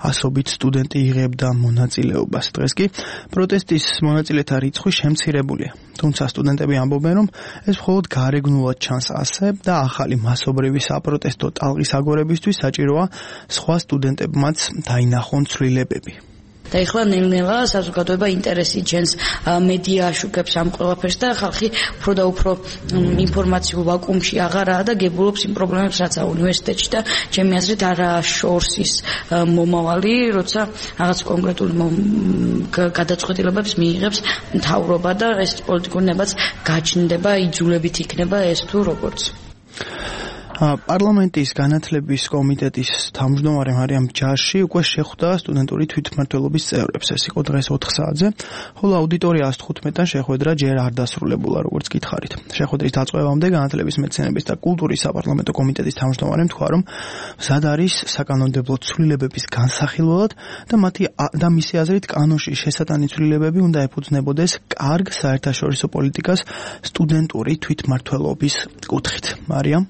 ასობით სტუდენტი იღებდა მონაწილეობას. დღეს კი პროტესტის მონაწილეთა რიცხვი შემცირებულია. თუმცა სტუდენტები ამბობენ, რომ ეს მხოლოდ გარეგნულად ჩანს ასე და ახალი მასობრივი საპროტესტო ტალღის აგორებისთვის საჭიროა სხვა სტუდენტებმაც დაინახონ ცვლილებები. და ეხლა ნელ-ნელა საზოგადოება ინტერესი ჩენს მედია აშუქებს ამ ყველაფერს და ხალხი უფრო და უფრო ინფორმაციულ ვაკუუმში აღარაა და გებულობს იმ პრობლემებს, რაც უნივერსიტეტში და ჩემი აზრით არა შორს ის მომავალი, როცა რაღაც კონკრეტული გადაწყვეტილებებს მიიღებს მთავრობა და ეს პოლიტიკური ნებაც გაჩნდება, იძულებით იქნება ეს თუ როგორც. პარლამენტის განათლების კომიტეტის თავმჯდომარე მარიამ ჯარში უკვე შეხვდა სტუდენტური თვითმმართველობის წევრებს. ეს იყო დღეს ოთხ საათზე, ხოლო აუდიტორია ას თხუთმეტთან შეხვედრა ჯერ არ დასრულებულა, როგორც გითხარით. შეხვედრის დაწყებამდე განათლების, მეცნიერების და კულტურის საპარლამენტო კომიტეტის თავმჯდომარემ თქვა, რომ მზად არის საკანონმდებლო ცვლილებების განსახილველად და მათი და მისი აზრით კანონში შესატანი ცვლილებები უნდა ეფუძნებოდეს კარგ საერთაშორისო პოლიტიკას სტუდენტური თვითმმართველობის კუთხით. მარიამ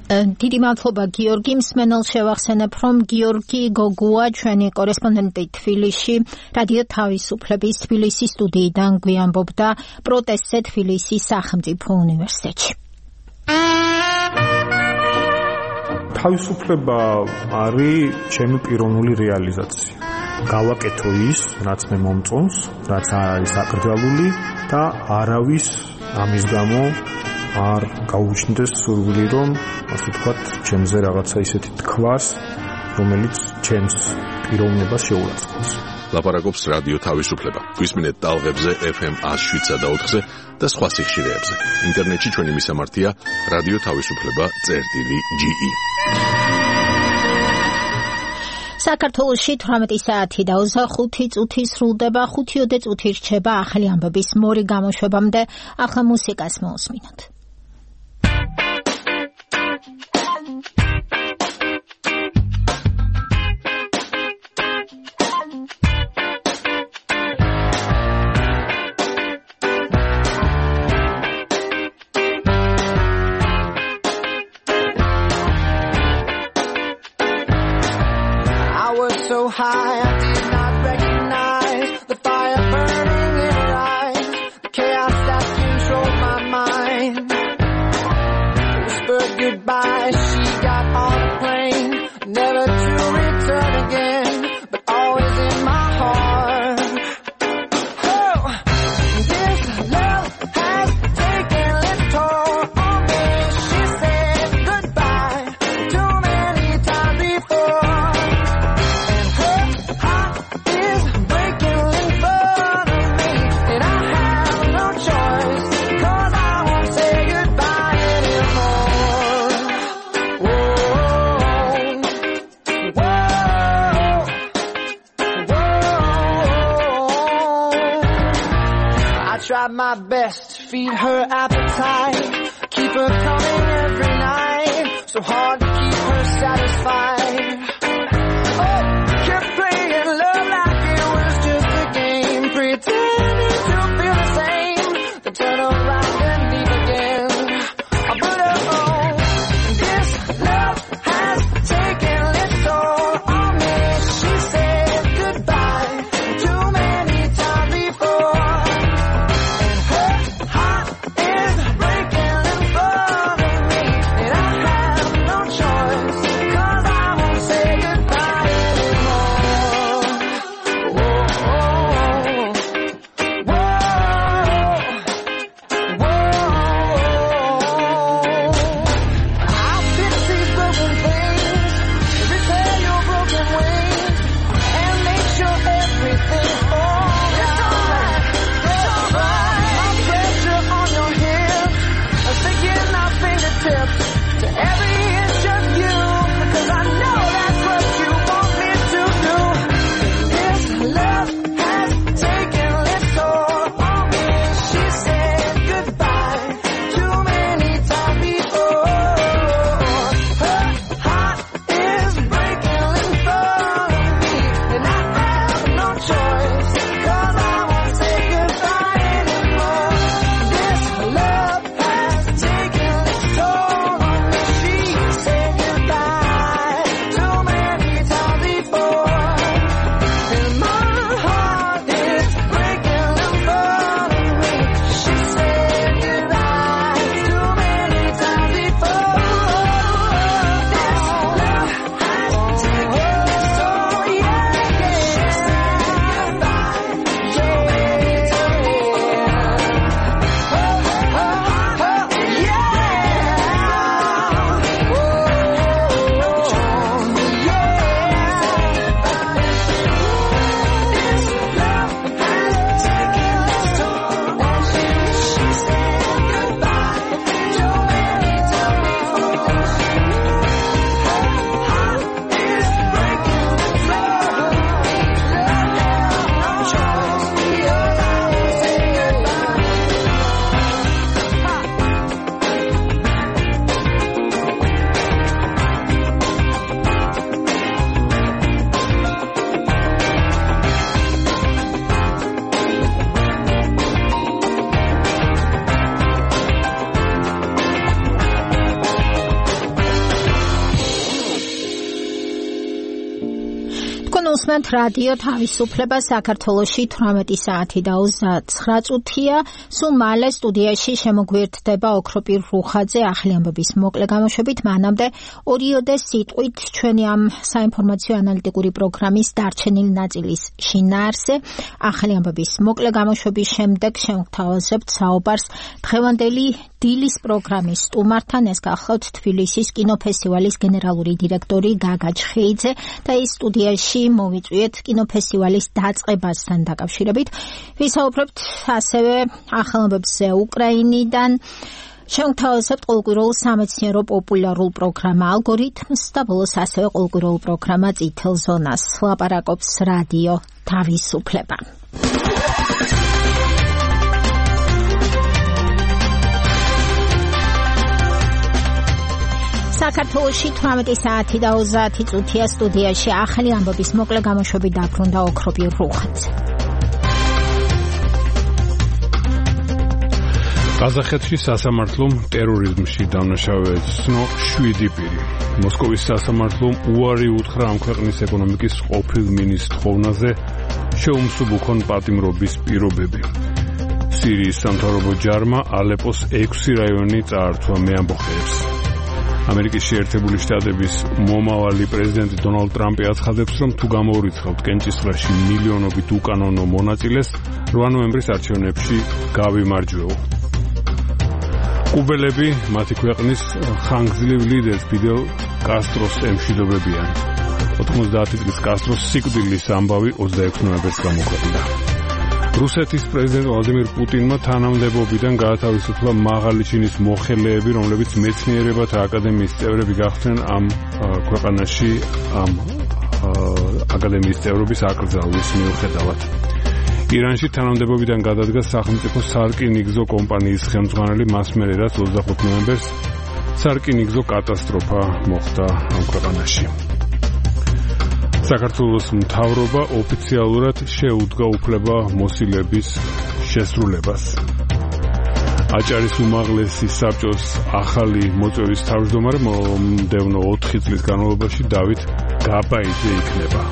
დიდი მადლობა გიორგი. მსმენელს შევახსენებ, რომ გიორგი გოგოა ჩვენი კორესპონდენტი თბილისში რადიო თავისუფლების თბილისის სტუდიიდან გვიამბობდა პროტესტზე თბილისის სახელმწიფო უნივერსიტეტში. თავისუფლება არის ჩემი პიროვნული რეალიზაცია. გავაკეთო ის, რაც მე მომწონს, რაც არის აკრძალული და არავის ამის გამო არ გაუჩნდეს სურვილი, რომ ასე ვთქვათ, ჩემზე რაღაცა ისეთი თქვას, რომელიც ჩემს პიროვნებას შეურაცხყოფს. ლაპარაკობს რადიო თავისუფლება. გვისმინეთ ტალღებზე ეფ ემ one oh seven და ოთხზე და სხვა სიხშირეებზე. ინტერნეტში ჩვენი მისამართია რადიო თავისუფლება წერტილი ჯი ი. საქართველოში თვრამეტი საათი და ოცდახუთი წუთი სრულდება, ხუთიოდე წუთი რჩება ახალი ამბების მორი გამოშვებამდე. ახლა მუსიკას მოусმინოთ. So high, I did not recognize the fire burning in her eyes, the chaos that controlled my mind. Whispered goodbye, she got on a plane, never to return again, but always in my heart. Oh, this love has taken its toll on me. She said goodbye too many times before. Tried my best to feed her appetite, keep her coming every night, so hard to keep her satisfied. Oh, kept playing love like it was just a game, pretending to feel the same, then turn around and leave again. I put her home. This love has taken its toll on me. She said goodbye too many times before. უსმენთ რადიო თავისუფლება საქართველოში თვრამეტი საათი და ოცდათსამი წუთია. სულ მალე სტუდიაში შემოგვიერთდება ოქროპირ რუხაძე ახალი ამბების მოკლე გამოშვებით. მანამდე ორიოდე სიტყვით ჩვენი ამ საინფორმაციო ანალიტიკური პროგრამის დარჩენილი ნაწილის შინაარსზე ახალი ამბების მოკლე გამოშვების შემდეგ შევთავაზებთ საუბარს დღევანდელი დილის პროგრამის სტუმართან. ეს გახლავთ თბილისის კინოფესტივალის გენერალური დირექტორი გაგა ჩხეიძე და ის სტუდიაში მოვიწვიეთ კინოფესტივალის დაწყებასთან დაკავშირებით. ვისაუბრებთ ასევე ახალმობებზე უკრაინიდან. შევთავაზებთ ყოველკვირეულ სამეცნიერო პოპულარულ პროგრამა ალგორითმს და ბოლოს ასევე ყოველკვირეულ პროგრამა წითელ ზონას. ლაპარაკობს რადიო თავისუფლება. საქართველოში თვრამეტი საათი და ოცდაათი წუთია. სტუდიაში ახალი ამბების მოკლე გამოშვებით დაბრუნდა ოქროპირ რუხაძე. ყაზახეთში სასამართლომ ტერორიზმში დამნაშავე ცნო შვიდი პირი. მოსკოვის სასამართლომ უარი უთხრა ამ ქვეყნის ეკონომიკის ყოფილ მინისტრ ხოვნაზე შეუმსუბუქონ პატიმრობის პირობები. სირიის სამთავრობო ჯარმა ალეპოს ექვსი რაიონი წაართვა მეამბოხეებს. ამერიკის შეერთებული შტატების მომავალი პრეზიდენტი დონალდ ტრამპი აცხადებს, რომ თუ გამოურიცხავთ კენჭისყრაში მილიონობით უკანონო მონაწილეს, რვა ნოემბრის არჩევნებში გავიმარჯვეო. კუბელები მათი ქვეყნის ხანგრძლივ ლიდერს ფიდელ კასტროს ემშვიდობებიან. ოთხმოცდაათი წლის კასტროს სიკვდილის ამბავი ოცდაექვსი ნოემბერს გამოქვეყნდა. რუსეთის პრეზიდენტ ვლადიმირ პუტინმა თანამდებობიდან გაათავისუფლა მაღალი ჩინის მოხელეები, რომლებიც მეცნიერებათა აკადემიის წევრები გახდნენ ამ ქვეყანაში ამ აკადემიის წევრობის აკრძალვის მიუხედავად. ირანში თანამდებობიდან გადადგა სახელმწიფო სარკინიგზო კომპანიის ხელმძღვანელი მას მერე, რაც ოცდახუთი ნოემბერს სარკინიგზო კატასტროფა მოხდა ამ ქვეყანაში. საქართველოს მთავრობა ოფიციალურად შეუდგა უფლება მოსილების შესრულებას. აჭარის უმაღლესი საბჭოს ახალი მოწვევის თავმჯდომარე მომდევნო ოთხი წლის განმავლობაში დავით გაბაიძე იქნება.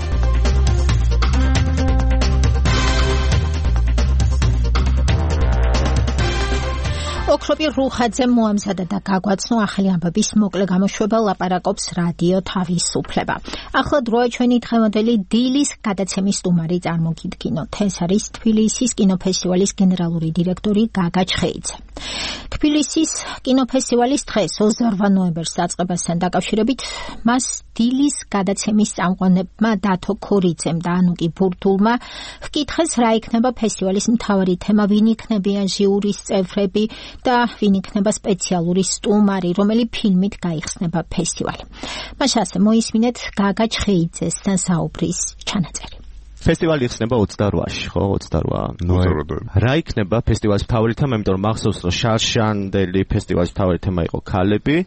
ოქროპირ რუხაძე მოამზადა და გაგვაცნო ახალი ამბების მოკლე გამოშვება. ლაპარაკობს რადიო თავისუფლება. ახლა დროა ჩვენი დღევანდელი დილის გადაცემის სტუმარი წარმოგიდგინოთ. ეს არის თბილისის კინოფესტივალის გენერალური დირექტორი გაგა ჩხეიძე. თბილისის კინოფესტივალის დღეს ოცდარვა ნოემბერს დაწყებასთან დაკავშირებით მას დილის გადაცემის წამყვანებმა დათო ქორიძემ და ანუკი ბურთულმა ჰკითხეს, რა იქნება ფესტივალის მთავარი თემა, ვინ იქნებიან ჟიურის წევრები და ვინ იქნება სპეციალური სტუმარი, რომელი ფილმით გაიხსნება ფესტივალი. მას ასე მოისმინეთ გაგა ჩხეიძესთან საუბრის ჩანაწერი. ფესტივალი იხსნება ოცდარვაში, ხო, ოცდარვა ნოემბერი. რა იქნება ფესტივალის მთავარი თემა, იმიტომ რომ მახსოვს, რომ შარშანდელი ფესტივალის მთავარი თემა იყო ქალები,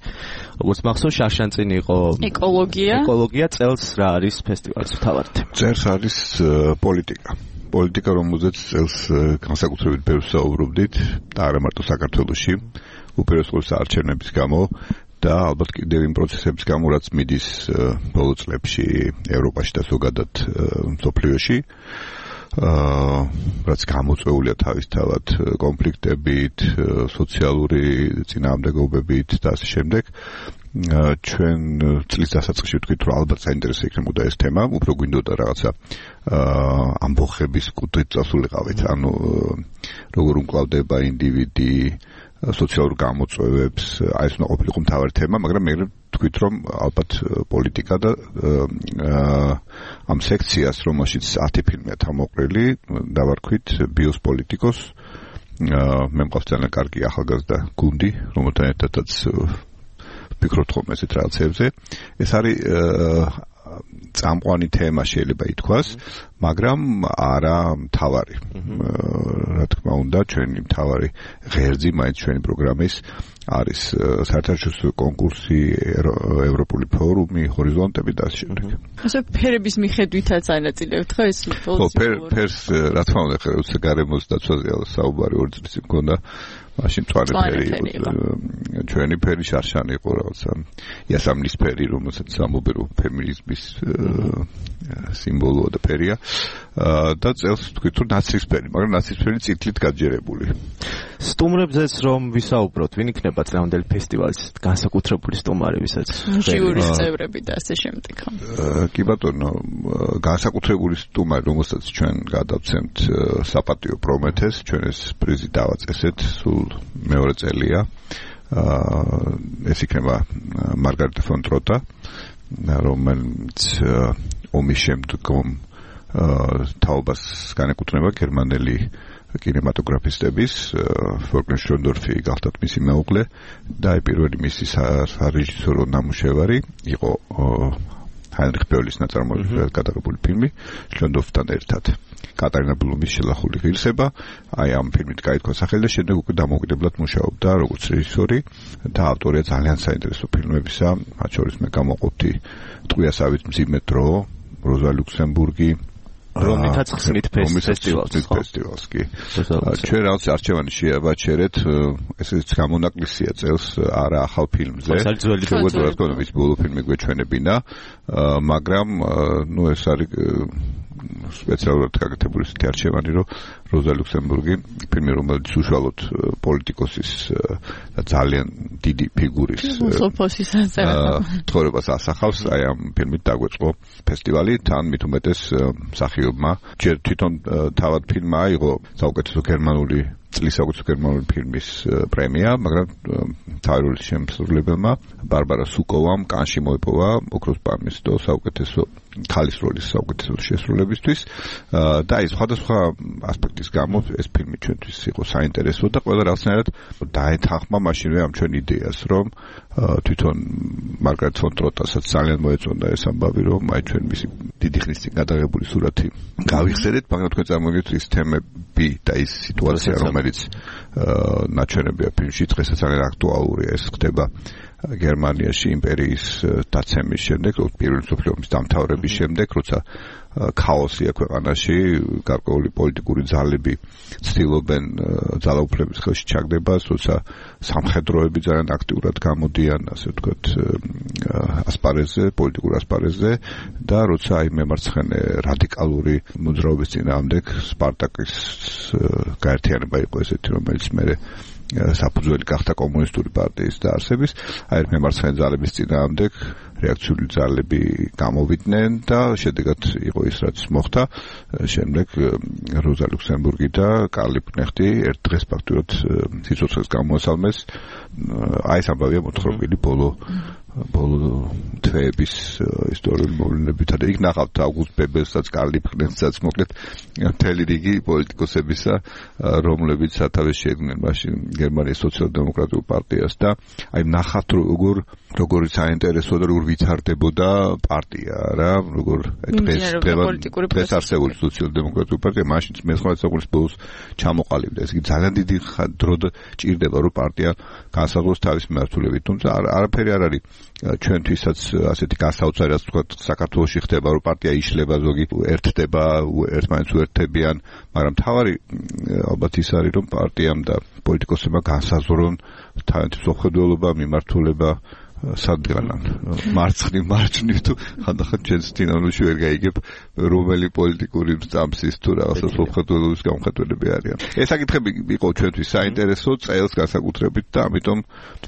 როგორც მახსოვს, შარშან წინ იყო ეკოლოგია. ეკოლოგია წელს რა არის ფესტივალის მთავარი თემა? წელს არის პოლიტიკა. პოლიტიკა, რომელზეც წელს განსაკუთრებით ბევრს საუბრობდით და არა მარტო საქართველოში, უპირველეს არჩევნების გამო და ალბათ კიდევ იმ პროცესების გამო, რაც მიდის ბოლო წლებში ევროპაში და ზოგადად მსოფლიოში, რაც გამოწვეულია თავისთავად კონფლიქტებით, სოციალური წინააღმდეგობებით და ასე შემდეგ. ჩვენ წლის დასაწყისში ვთქვით, რომ ალბათ საინტერესო იქნებოდა ეს თემა, უფრო გვინდოდა რაღაცა ამბოხების კუთხით წასულიყავით, ანუ როგორ უმკლავდება ინდივიდი სოციალურ გამოწვევებს, აი ეს უნდა ყოფილიყო მთავარი თემა, მაგრამ მე ვთქვით, რომ ალბათ პოლიტიკა და ამ სექციას, რომელშიც ათი ფილმია თავმოყრილი, დავარქვით ბიოს პოლიტიკოს. მე მყავს ძალიან კარგი ახალგაზრდა გუნდი, რომელთან ერთადაც ვფიქრობთ ხოლმე ესეთ რაღაცებზე. ეს არის წამყვანი თემა შეიძლება ითქვას, მაგრამ არა მთავარი. რა თქმა უნდა, ჩვენი მთავარი ღერძი მაინც ჩვენი პროგრამის არის საერთაშორისო კონკურსი, ევროპული ფორუმი, ჰორიზონტები და ასე შემდეგ. ასე ფერების მიხედვითაც ანაწილებთ ხო ეს? ხო, ფერს რა თქმა უნდა, ხა გარემოს დაცვაზე საუბარი ორი წლის წინ მქონდა. მაშინ მწვანე ფერი იყო. ჩვენი ფერი შარშანი იყო რაღაცა. იასამნის ფერი, რომელსაც სამობერო ფემინიზმის სიმბოლოა და ფერია. და წელს თქვით, რომ ნაცისფერი, მაგრამ ნაცისფერი წითლით გაჯერებული. სტუმრებზეც რომ ვისაუბროთ, ვინ იქნება წლევანდელი ფესტივალის განსაკუთრებული სტუმარი, ვისაც ჟიურის წევრები და ასე შემდეგ. კი ბატონო, განსაკუთრებული სტუმარი, რომელსაც ჩვენ გადავცემთ საპატიო პრომეთეს, ჩვენ ეს პრიზი დავაწესეთ სულ მეორე წელია. ეს იქნება მარგარიტა ფონ ტროტა, რომელიც ომის შემდგომ თაობას განეკუთვნება გერმანელი კინემატოგრაფისტების, ვოლფგანგ შონდორფი გახდათ მისი მეუღლე და პირველი მისი სარეჟისორო ნამუშევარი იყო ჰაინრიხ ბეულის ნაწარმოებით გადაღებული ფილმი შონდორფთან ერთად. კატარინა ბლუმის შელახული ღირსება, აი ამ ფილმით გაითქვა სახელი და შემდეგ უკვე დამოუკიდებლად მუშაობდა როგორც რეჟისორი და ავტორია ძალიან საინტერესო ფილმებისა, მათ შორის მე გამოვყოფდი ტყვიასავით მძიმე დრო, როზა ლუქსემბურგი, რომლითაც ხსნით ფესტივალს, ფესტივალს კი. ჩვენ რაღაც არჩევანი შეავაჩერეთ, ესეც გამონაკლისია წელს არა ახალ ფილმზე. შეგვეძლო რა თქმა უნდა მის ბოლო ფილმი გვეჩვენებინა, მაგრამ ნუ ეს არის სპეციალურად გაკეთებული ისეთი არჩევანი, რომ როზა ლუქსემბურგი ფილმი, რომელიც უშუალოდ პოლიტიკოსის და ძალიან დიდი ფიგურის ცხოვრებას ასახავს, აი ამ ფილმით დაგვეწყო ფესტივალი, თან მით უმეტეს მსახიობმა ჯერ თვითონ თავად ფილმმა აიღო საუკეთესო გერმანული წლის საუკეთესო გერმანული ფილმის პრემია, მაგრამ თავი როლის შემსრულებელმა ბარბარა სუკოვამ კანში მოიპოვა ოქროს პალმის და საუკეთესო ქალის როლის საუკეთესო შესრულებისთვის და ის სხვადასხვა ასპექტის გამო ეს ფილმი ჩვენთვის იყო საინტერესო და ყველა რაღაცნაირად დაეთანხმა მაშინვე ამ ჩვენ იდეას, რომ თვითონ მარგარეტ ფონ ტროტასაც ძალიან მოეწონდა ეს ამბავი, რომ აი ჩვენ მისი დიდი ხნის წინ გადაღებული სურათი გავიხსენეთ, მაგრამ თქვენ წარმოგიდგენთ ის თემები და ის სიტუაცია, რომელიც ნაჩვენებია ფილმში, დღესაც ძალიან აქტუალურია, ეს ხდება გერმანიაში იმპერიის დაცემის შემდეგ, პირველი მსოფლიო ომის დამთავრების შემდეგ, როცა ქაოსია ქვეყანაში, გარკვეული პოლიტიკური ძალები ცდილობენ ძალაუფლების ხელში ჩაგდებას, როცა სამხედროები ძალიან აქტიურად გამოდიან, ასე ვთქვათ, ასპარეზზე, პოლიტიკურ ასპარეზზე და როცა აი მემარცხენე რადიკალური მოძრაობის წინააღმდეგ სპარტაკის გაერთიანება იყო ესეთი, რომელიც მერე საფუძველი გახდა კომუნისტური პარტიის დაარსების, აი მემარცხენე ძალების წინააღმდეგ რეაქციული ძალები გამოვიდნენ და შედეგად იყო ის, რაც მოხდა. შემდეგ როზა ლუქსემბურგი და კარლ ლიპკნეხტი ერთ დღეს ფაქტურად სიცოცხლეს გამოასალმეს. აი ეს ამბავია მოთხრობილი ბოლო ბოლო თვეების ისტორიული მოვლენებითა და იქ ნახავთ აუგუსტ ბებელსაც, კარლ ლიპკნეხტსაც, მოკლედ მთელი რიგი პოლიტიკოსებისა, რომლებიც სათავეს შეედგნენ მაშინ გერმანიის სოციალ-დემოკრატიულ პარტიას და აი ნახავთ როგორ როგორ საინტერესო და როგორ ვითარდებოდა პარტია რა, როგორ დღეს დღეს არსებული სოციალ-დემოკრატიული პარტია მაშინ მეცხრე საუკუნის ბოლოს ჩამოყალიბდა. ეს იგი ძალიან დიდი დრო ჭირდება, რომ პარტია განსაზღვროს თავის მიმართულებით, თუმცა არაფერი არ არის ჩვენთვისაც ასეთი განსაოცარი, რაც თქვა საქართველოში ხდება, რომ პარტია იშლება, ზოგი ერთდება, ერთმანეთს უერთდებიან, მაგრამ თავარი ალბათ ის არის, რომ პარტიამ და პოლიტიკოსებმა განსაზღვრონ თავიანთი მსოფლმხედველობა, მიმართულება სადღანან მარცხნივ მარჯვნივ თუ ხანდახან ჩვენს წინამორბედში ვერ გაიგებ რომელი პოლიტიკური სტამსის თუ რაღაცა მსოფლმხედველობის გამხდარები არიან. ეს საკითხები იყო ჩვენთვის საინტერესო წელს განსაკუთრებით და ამიტომ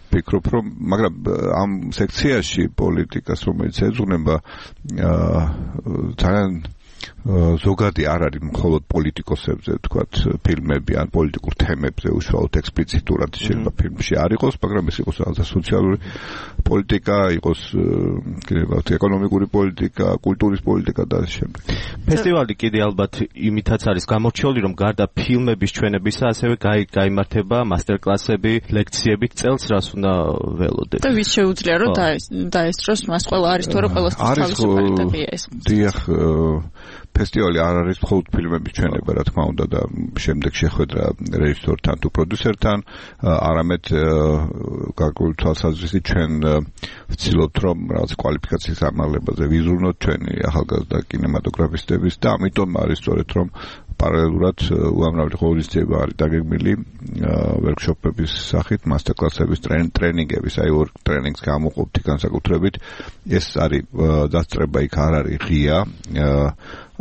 ვფიქრობ, რომ მაგრამ ამ სექციაში პოლიტიკას რომელიც ეძღვნება ძალიან ზოგადი არ არის მხოლოდ პოლიტიკოსებზე, თქვათ, ფილმები ან პოლიტიკურ თემებზე უშუალოდ ექსპლიციტურად შეიძლება ფილმში არ იყოს, მაგრამ ეს იყოს რაღაცა სოციალური პოლიტიკა, იყოს კიდევ ეკონომიკური პოლიტიკა, კულტურის პოლიტიკა და ასე შემდეგ. ფესტივალი კიდე ალბათ იმითაც არის გამორჩეული, რომ გარდა ფილმების ჩვენებისა, ასევე გაიმართება მასტერკლასები, ლექციები წელს, რას უნდა ველოდეთ. და ვის შეუძლია რომ დაესწროს მას, ყველა არის თუ არა ყველასთვის თავისუფლებია ეს. დიახ, ფესტივალი არ არის მხოლოდ ფილმების ჩვენება, რა თქმა უნდა და შემდეგ შეხვედრა რეჟისორთან თუ პროდიუსერთან, არამედ გარკვეული თვალსაზრისით ჩვენ ვცდილობთ რომ რაღაც კვალიფიკაციის ამაღლებაზე ვიზრუნოთ ჩვენი ახალგაზრდა კინემატოგრაფისტების და ამიტომ არის სწორედ რომ პარალელურად უამრავი ღონისძიება არის დაგეგმილი ვერქშოპების სახით, მასტერკლასების, ტრენინგების, აი ორ ტრენინგს გამოყოფთ განსაკუთრებით. ეს არის დასწრება იქ არ არის ღია.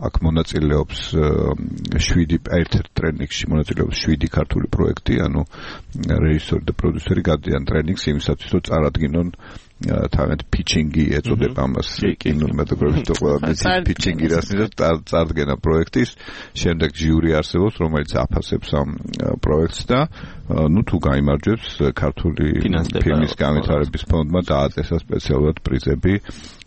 აქ მონაწილეობს შვიდი ერთ-ერთ ტრენინგში მონაწილეობს შვიდი ქართული პროექტი, ანუ რეჟისორი და პროდიუსერი გადიან ტრენინგს იმისათვის, რომ წარადგინონ თავად pitching-ი ეწოდება ამას კინემატოგრაფისტ ყველაფერს pitching-ი რასნაირად წარდგენა პროექტის, შემდეგ ჟიური არსებობს, რომელიც აფასებს ამ პროექტს და ნუ თუ გაიმარჯვებს ქართული ფილმის განვითარების ფონდმა დააწესა სპეციალურად პრიზები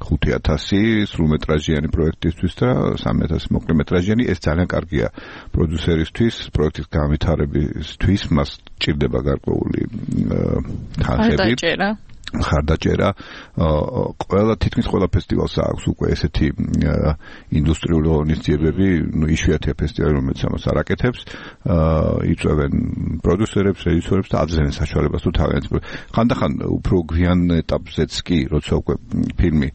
ხუთი ათასი სრულმეტრაჟიანი პროექტისთვის და სამი ათასი მოკლემეტრაჟიანი. ეს ძალიან კარგია პროდიუსერისთვის, პროექტის განვითარებისთვის, მას ჭირდება გარკვეული თანხები. ხარდაჭერა ყველა თითქმის ყველა ფესტივალს აქვს უკვე ესეთი ინდუსტრიული ღონისძიებები, ნუ იშვიათია ფესტივალი, რომელიც ამას არ აკეთებს, იწვევენ პროდიუსერებს, რეჟისორებს და აბზენენ საშუალებას თუ თავიანთ ხანდახან უფრო გვიან ეტაპზეც კი, როცა უკვე ფილმი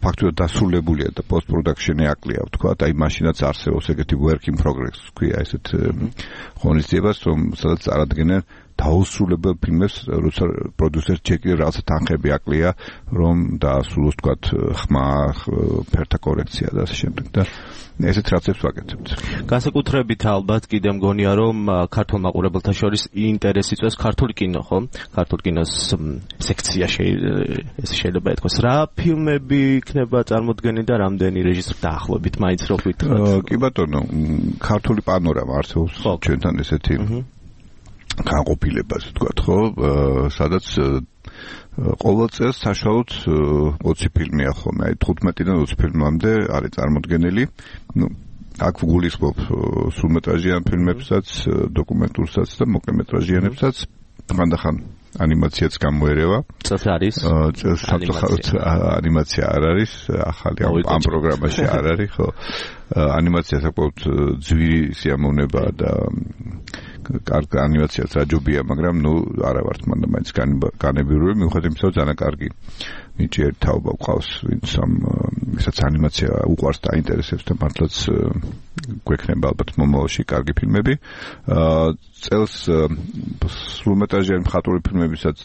ფაქტობრივად დასრულებულია და post production-ი აკლია, ვთქვა, აი მაშინაც არსებობს ეგეთი work in progress, ქვია ესეთ ღონისძიებას, რომ სადაც წარადგენენ დაუსრულებელ ფილმებს, როცა პროდიუსერს ჩეკი რაღაცა თანხები აკლია, რომ დაასრულოს, თქვა, ხმა, ფერთა კორექცია და ასე შემდეგ და ესეთ რაღაცებს ვაკეთებთ. განსაკუთრებით ალბათ კიდე მგონია, რომ ქართულ მაყურებელთა შორის ინტერესი წვეს ქართული კინო, ხო? ქართულ კინოს სექცია შეიძლება ეთქოს. რა ფილმები იქნება წარმოდგენილი და რამდენი რეჟისორი დაახლოებით მაინც რო გითხრათ? კი ბატონო, ქართული პანორამა არსებობს ჩვენთან ესეთი განყოფილებას ვთქვათ, ხო, სადაც ყოველ წელს საშუალოდ ოცი ფილმია ხოლმე, აი თხუთმეტიდან ოცი ფილმამდე არის წარმოდგენილი. ნუ აქ ვგულისხმობ სრულმეტრაჟიან ფილმებსაც, დოკუმენტურსაც და მოკლემეტრაჟიანებსაც. ხანდახან ანიმაციაც გამოერევა. წელს არის? წელს საფრთხით ანიმაცია არ არის, ახალი ამ პროგრამაში არ არის, ხო. ანიმაცია საკმაოდ ძვირი სიამოვნებაა და კარგი ანიმაციაც რაჯობია, მაგრამ ნუ არა ვართ მანდა მაინც განებირული, მიუხედავად იმისა, რომ ძალიან კარგი ნიჭი ერთ თაობა გვყავს, ვინც ამ ისაც ანიმაცია უყვარს და აინტერესებს და მართლაც გვექნება ალბათ მომავალში კარგი ფილმები. წელს სრულმეტრაჟიანი მხატვრული ფილმებისაც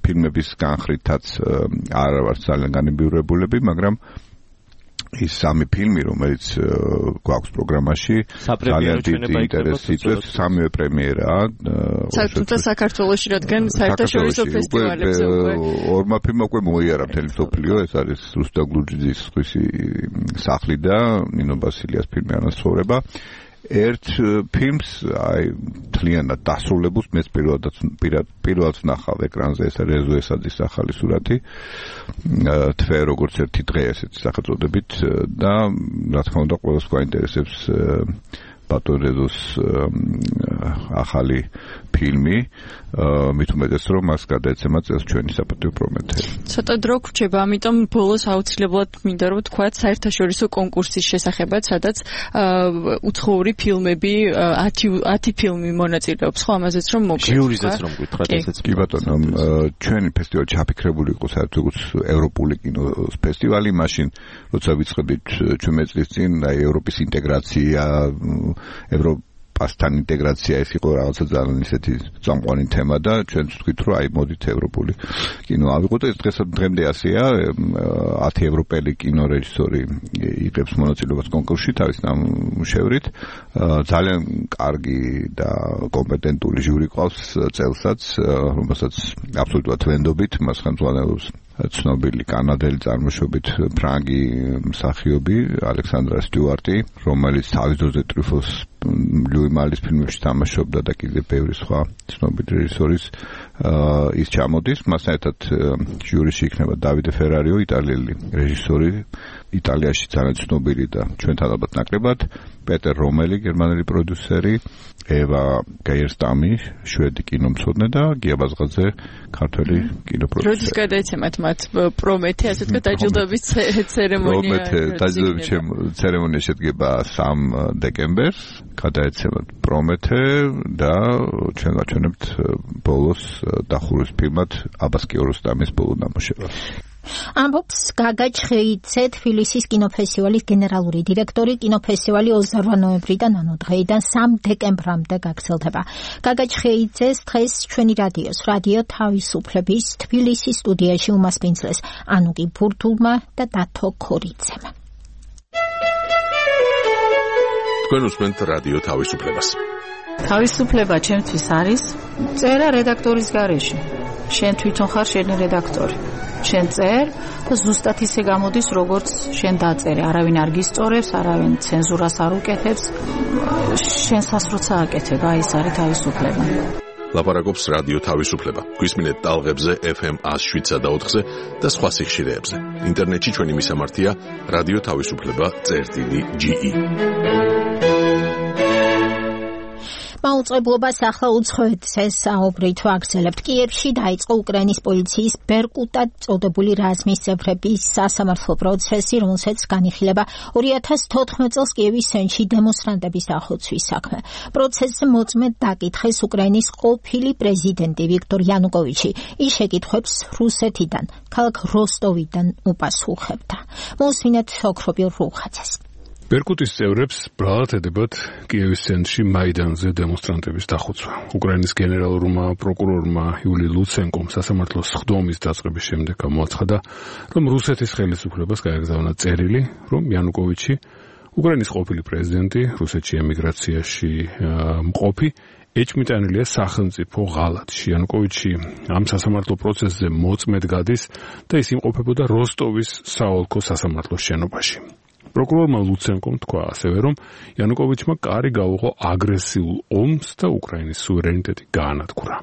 ფილმების განხრითაც არ ვართ ძალიან განებიურებულები, მაგრამ ის სამი ფილმი, რომელიც გვაქვს პროგრამაში, ძალიან დიდი ინტერესი იწვევს, სამივე პრემიერაა. თუმცა საქართველოში რადგან საერთაშორისო ფესტივალებზე უკვე ორმა ფილმმა უკვე მოიარა მთელი მსოფლიო, ეს არის რუსტამ გლუჯიძის სხვისი სახლი და ნინო ბასილიას ფილმი ანაცხოვრება. ერთ ფილმს აი თლიანად დასრულებულს მეც პირველად პირველად ვნახავ ეკრანზე, ეს რეზო ესაძის ახალი სურათი თვე როგორც ერთი დღე ესეთი სახელწოდებით და რა თქმა უნდა ყველას გვაინტერესებს ბატონ რეზოს ახალი ფილმი, მით უმეტეს რომ მას გადაეცემა წელს ჩვენი საპატიო პრომეთე. ცოტა დრო გრჩება, ამიტომ ბოლოს აუცილებლად მინდა რომ ვთქვათ საერთაშორისო კონკურსის შესახებად, სადაც უცხოური ფილმები ათი ფილმი მონაწილეობს, ხო, ამაზეც რომ მოგეთ. ჟიურიზეც რომ გითხრათ ესეც. კი ბატონო, ჩვენი ფესტივალი ჩაფიქრებული იყო საერთოდ ევროპული კინოს ფესტივალი, მაშინ როცა ვიწყებით ჩვენი წლის წინ აი ევროპის ინტეგრაცია, ევროპასთან ინტეგრაცია, ეს იყო რაღაცა ძალიან ისეთი წამყვანი თემა და ჩვენც ვთქვით, რომ აი მოდით ევროპული კინო ავიღოთ. ეს დღეს დღემდე ასეა, ათი ევროპელი კინორეჟისორი იღებს მონაწილეობას კონკურსში თავის ნამუშევრით. ძალიან კარგი და კომპეტენტური ჟიური ყავს წელსაც, რომელსაც აბსოლუტურად ვენდობით, მას ხელმძღვანელობს ცნობილი კანადელი წარმოშობით ფრანგი მსახიობი ალექსანდრა სტიუარტი, რომელიც თავის დროზე ტრიფოს ლუი მალის ფილმებში თამაშობდა და კიდევ ბევრი სხვა ცნობილი რეჟისორის ის ჩამოდის. მასთან ერთად ჟიურიში იქნება დავიდე ფერარიო, იტალიელი რეჟისორი, იტალიაში ძალიან ცნობილი და ჩვენთან ალბათ ნაკლებად, პეტერ რომელი, გერმანელი პროდიუსერი, ევა გაიერსტამი, შვედი კინომცოდნე და გია ბაზღაძე, ქართველი კინოპროდიუსერი. როდის გადაეცემათ მათ პრომეთე, ასე თქვა, დაჯილდოების ცერემონია? პრომეთე დაჯილდოების ცერემონია შედგება სამ დეკემბერს, გადაეცემათ პრომეთე და ჩვენ ვაჩვენებთ ბოლოს დახურვის ფილმად აბას კიაროსტამის ბოლო ნამუშევრს. ამბობს გაგა ჩხეიძე, თბილისის კინოფესტივალის გენერალური დირექტორი. კინოფესტივალი ოცდაოთხ ნოემბრიდან, ანუ დღეიდან სამ დეკემბრამდე გაგრძელდება. გაგა ჩხეიძეს დღეს ჩვენი რადიოს, რადიო თავისუფლების თბილისის სტუდიაში უმასპინძლეს ანუკი ბურთულმა და დათო ქორიძემ. თქვენ უსმენთ რადიო თავისუფლებას. თავისუფლება ჩემთვის არის წერა რედაქტორის გარეშე. შენ თვითონ ხარ შენი რედაქტორი. შენ წერ და ზუსტად ისე გამოდის, როგორც შენ დაწერე. არავინ არ გისწორებს, არავინ ცენზურას არ უკეთებს. შენსაც როცა აკეთებ, აი ეს არის თავისუფლება. ლაპარაკობს რადიო თავისუფლება. გვისმინეთ ტალღებზე ეფ ემ ას შვიდსა და ოთხზე და სხვა სიხშირეებზე. ინტერნეტში ჩვენი მისამართია რადიო თავისუფლება წერტილი ჯი ი. მაუწყებლობას ახლა უცხოეთზე საუბრით ვაგრძელებთ. კიევში დაიწყო უკრაინის პოლიციის ბერკუტად წოდებული რაზმის წევრების სასამართლო პროცესი, რომელსაც განიხილება ორი ათას თოთხმეტ წელს კიევის სენში დემონსტრანტების ახორცვის საქმე. პროცესზე მოწმედ დაკითხეს უკრაინის ყოფილი პრეზიდენტი ვიქტორ იანუკოვიჩი. ის შეკითხვებს რუსეთიდან, ქალაქ როსტოვიდან უპასუხებდა. მოусმინეთ ოქრობილ რუხაძეს. ბერკუტის წევრებს ბრალად ედებათ კიევის ცენტრში მაიდანზე დემონსტრანტების დახოცვა. უკრაინის გენერალურმა პროკურორმა იული ლუცენკომ სასამართლოს სხდომის დაწყების შემდეგ გამოაცხადა, რომ რუსეთის ხელისუფლებას გაეგზავნა წერილი, რომ იანუკოვიჩი, უკრაინის ყოფილი პრეზიდენტი, რუსეთში ემიგრაციაში მყოფი, ეჭმიტანილია სახელმწიფო ღალატში. იანუკოვიჩი ამ სასამართლო პროცესზე მოწმედ გადის და ის იმყოფებოდა როსტოვის საოლქო სასამართლოს შენობაში. პროკურორმა ლუცენკომ თქვა ასევე, რომ იანუკოვიჩმა კარი გაუღო აგრესიულ ომს და უკრაინის სუვერენიტეტი გაანადგურა.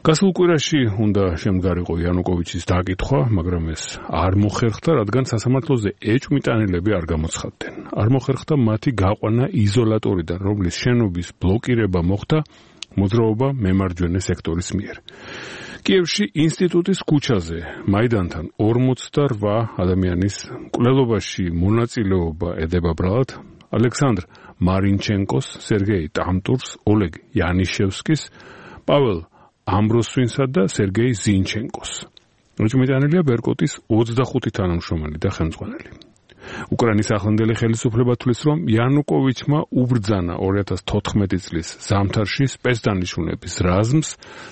გასულ კვირაში უნდა შემდგარიყო იანუკოვიჩის დაკითხვა, მაგრამ ეს არ მოხერხდა, რადგან სასამართლოზე ეჭვმიტანილები არ გამოცხადდნენ. არ მოხერხდა მათი გაყვანა იზოლატორიდან, რომლის შენობის ბლოკირება მოხდა მოძრაობა მემარჯვენე სექტორის მიერ. კიევში ინსტიტუტის ქუჩაზე მაიდანთან ორმოცდაოთხ ადამიანის მკვლელობაში მონაწილეობა ედება ბრალად ალექსანდრ მარინჩენკოს, სერგეი ტამტურს, ოლეგ იანიშევსკის, პაველ ამბროსვინსა და სერგეი ზინჩენკოს. მოწმიდანილია ბერკუტის ოცდახუთი თანამშრომელი და ხელმძღვანელი. უკრაინის ახლანდელი ხელისუფლება თვლის, რომ იანუკოვიჩმა უბრძანა ორი ათას თოთხმეტი წლის ზამთარში სპეცდანიშნულების რაზმს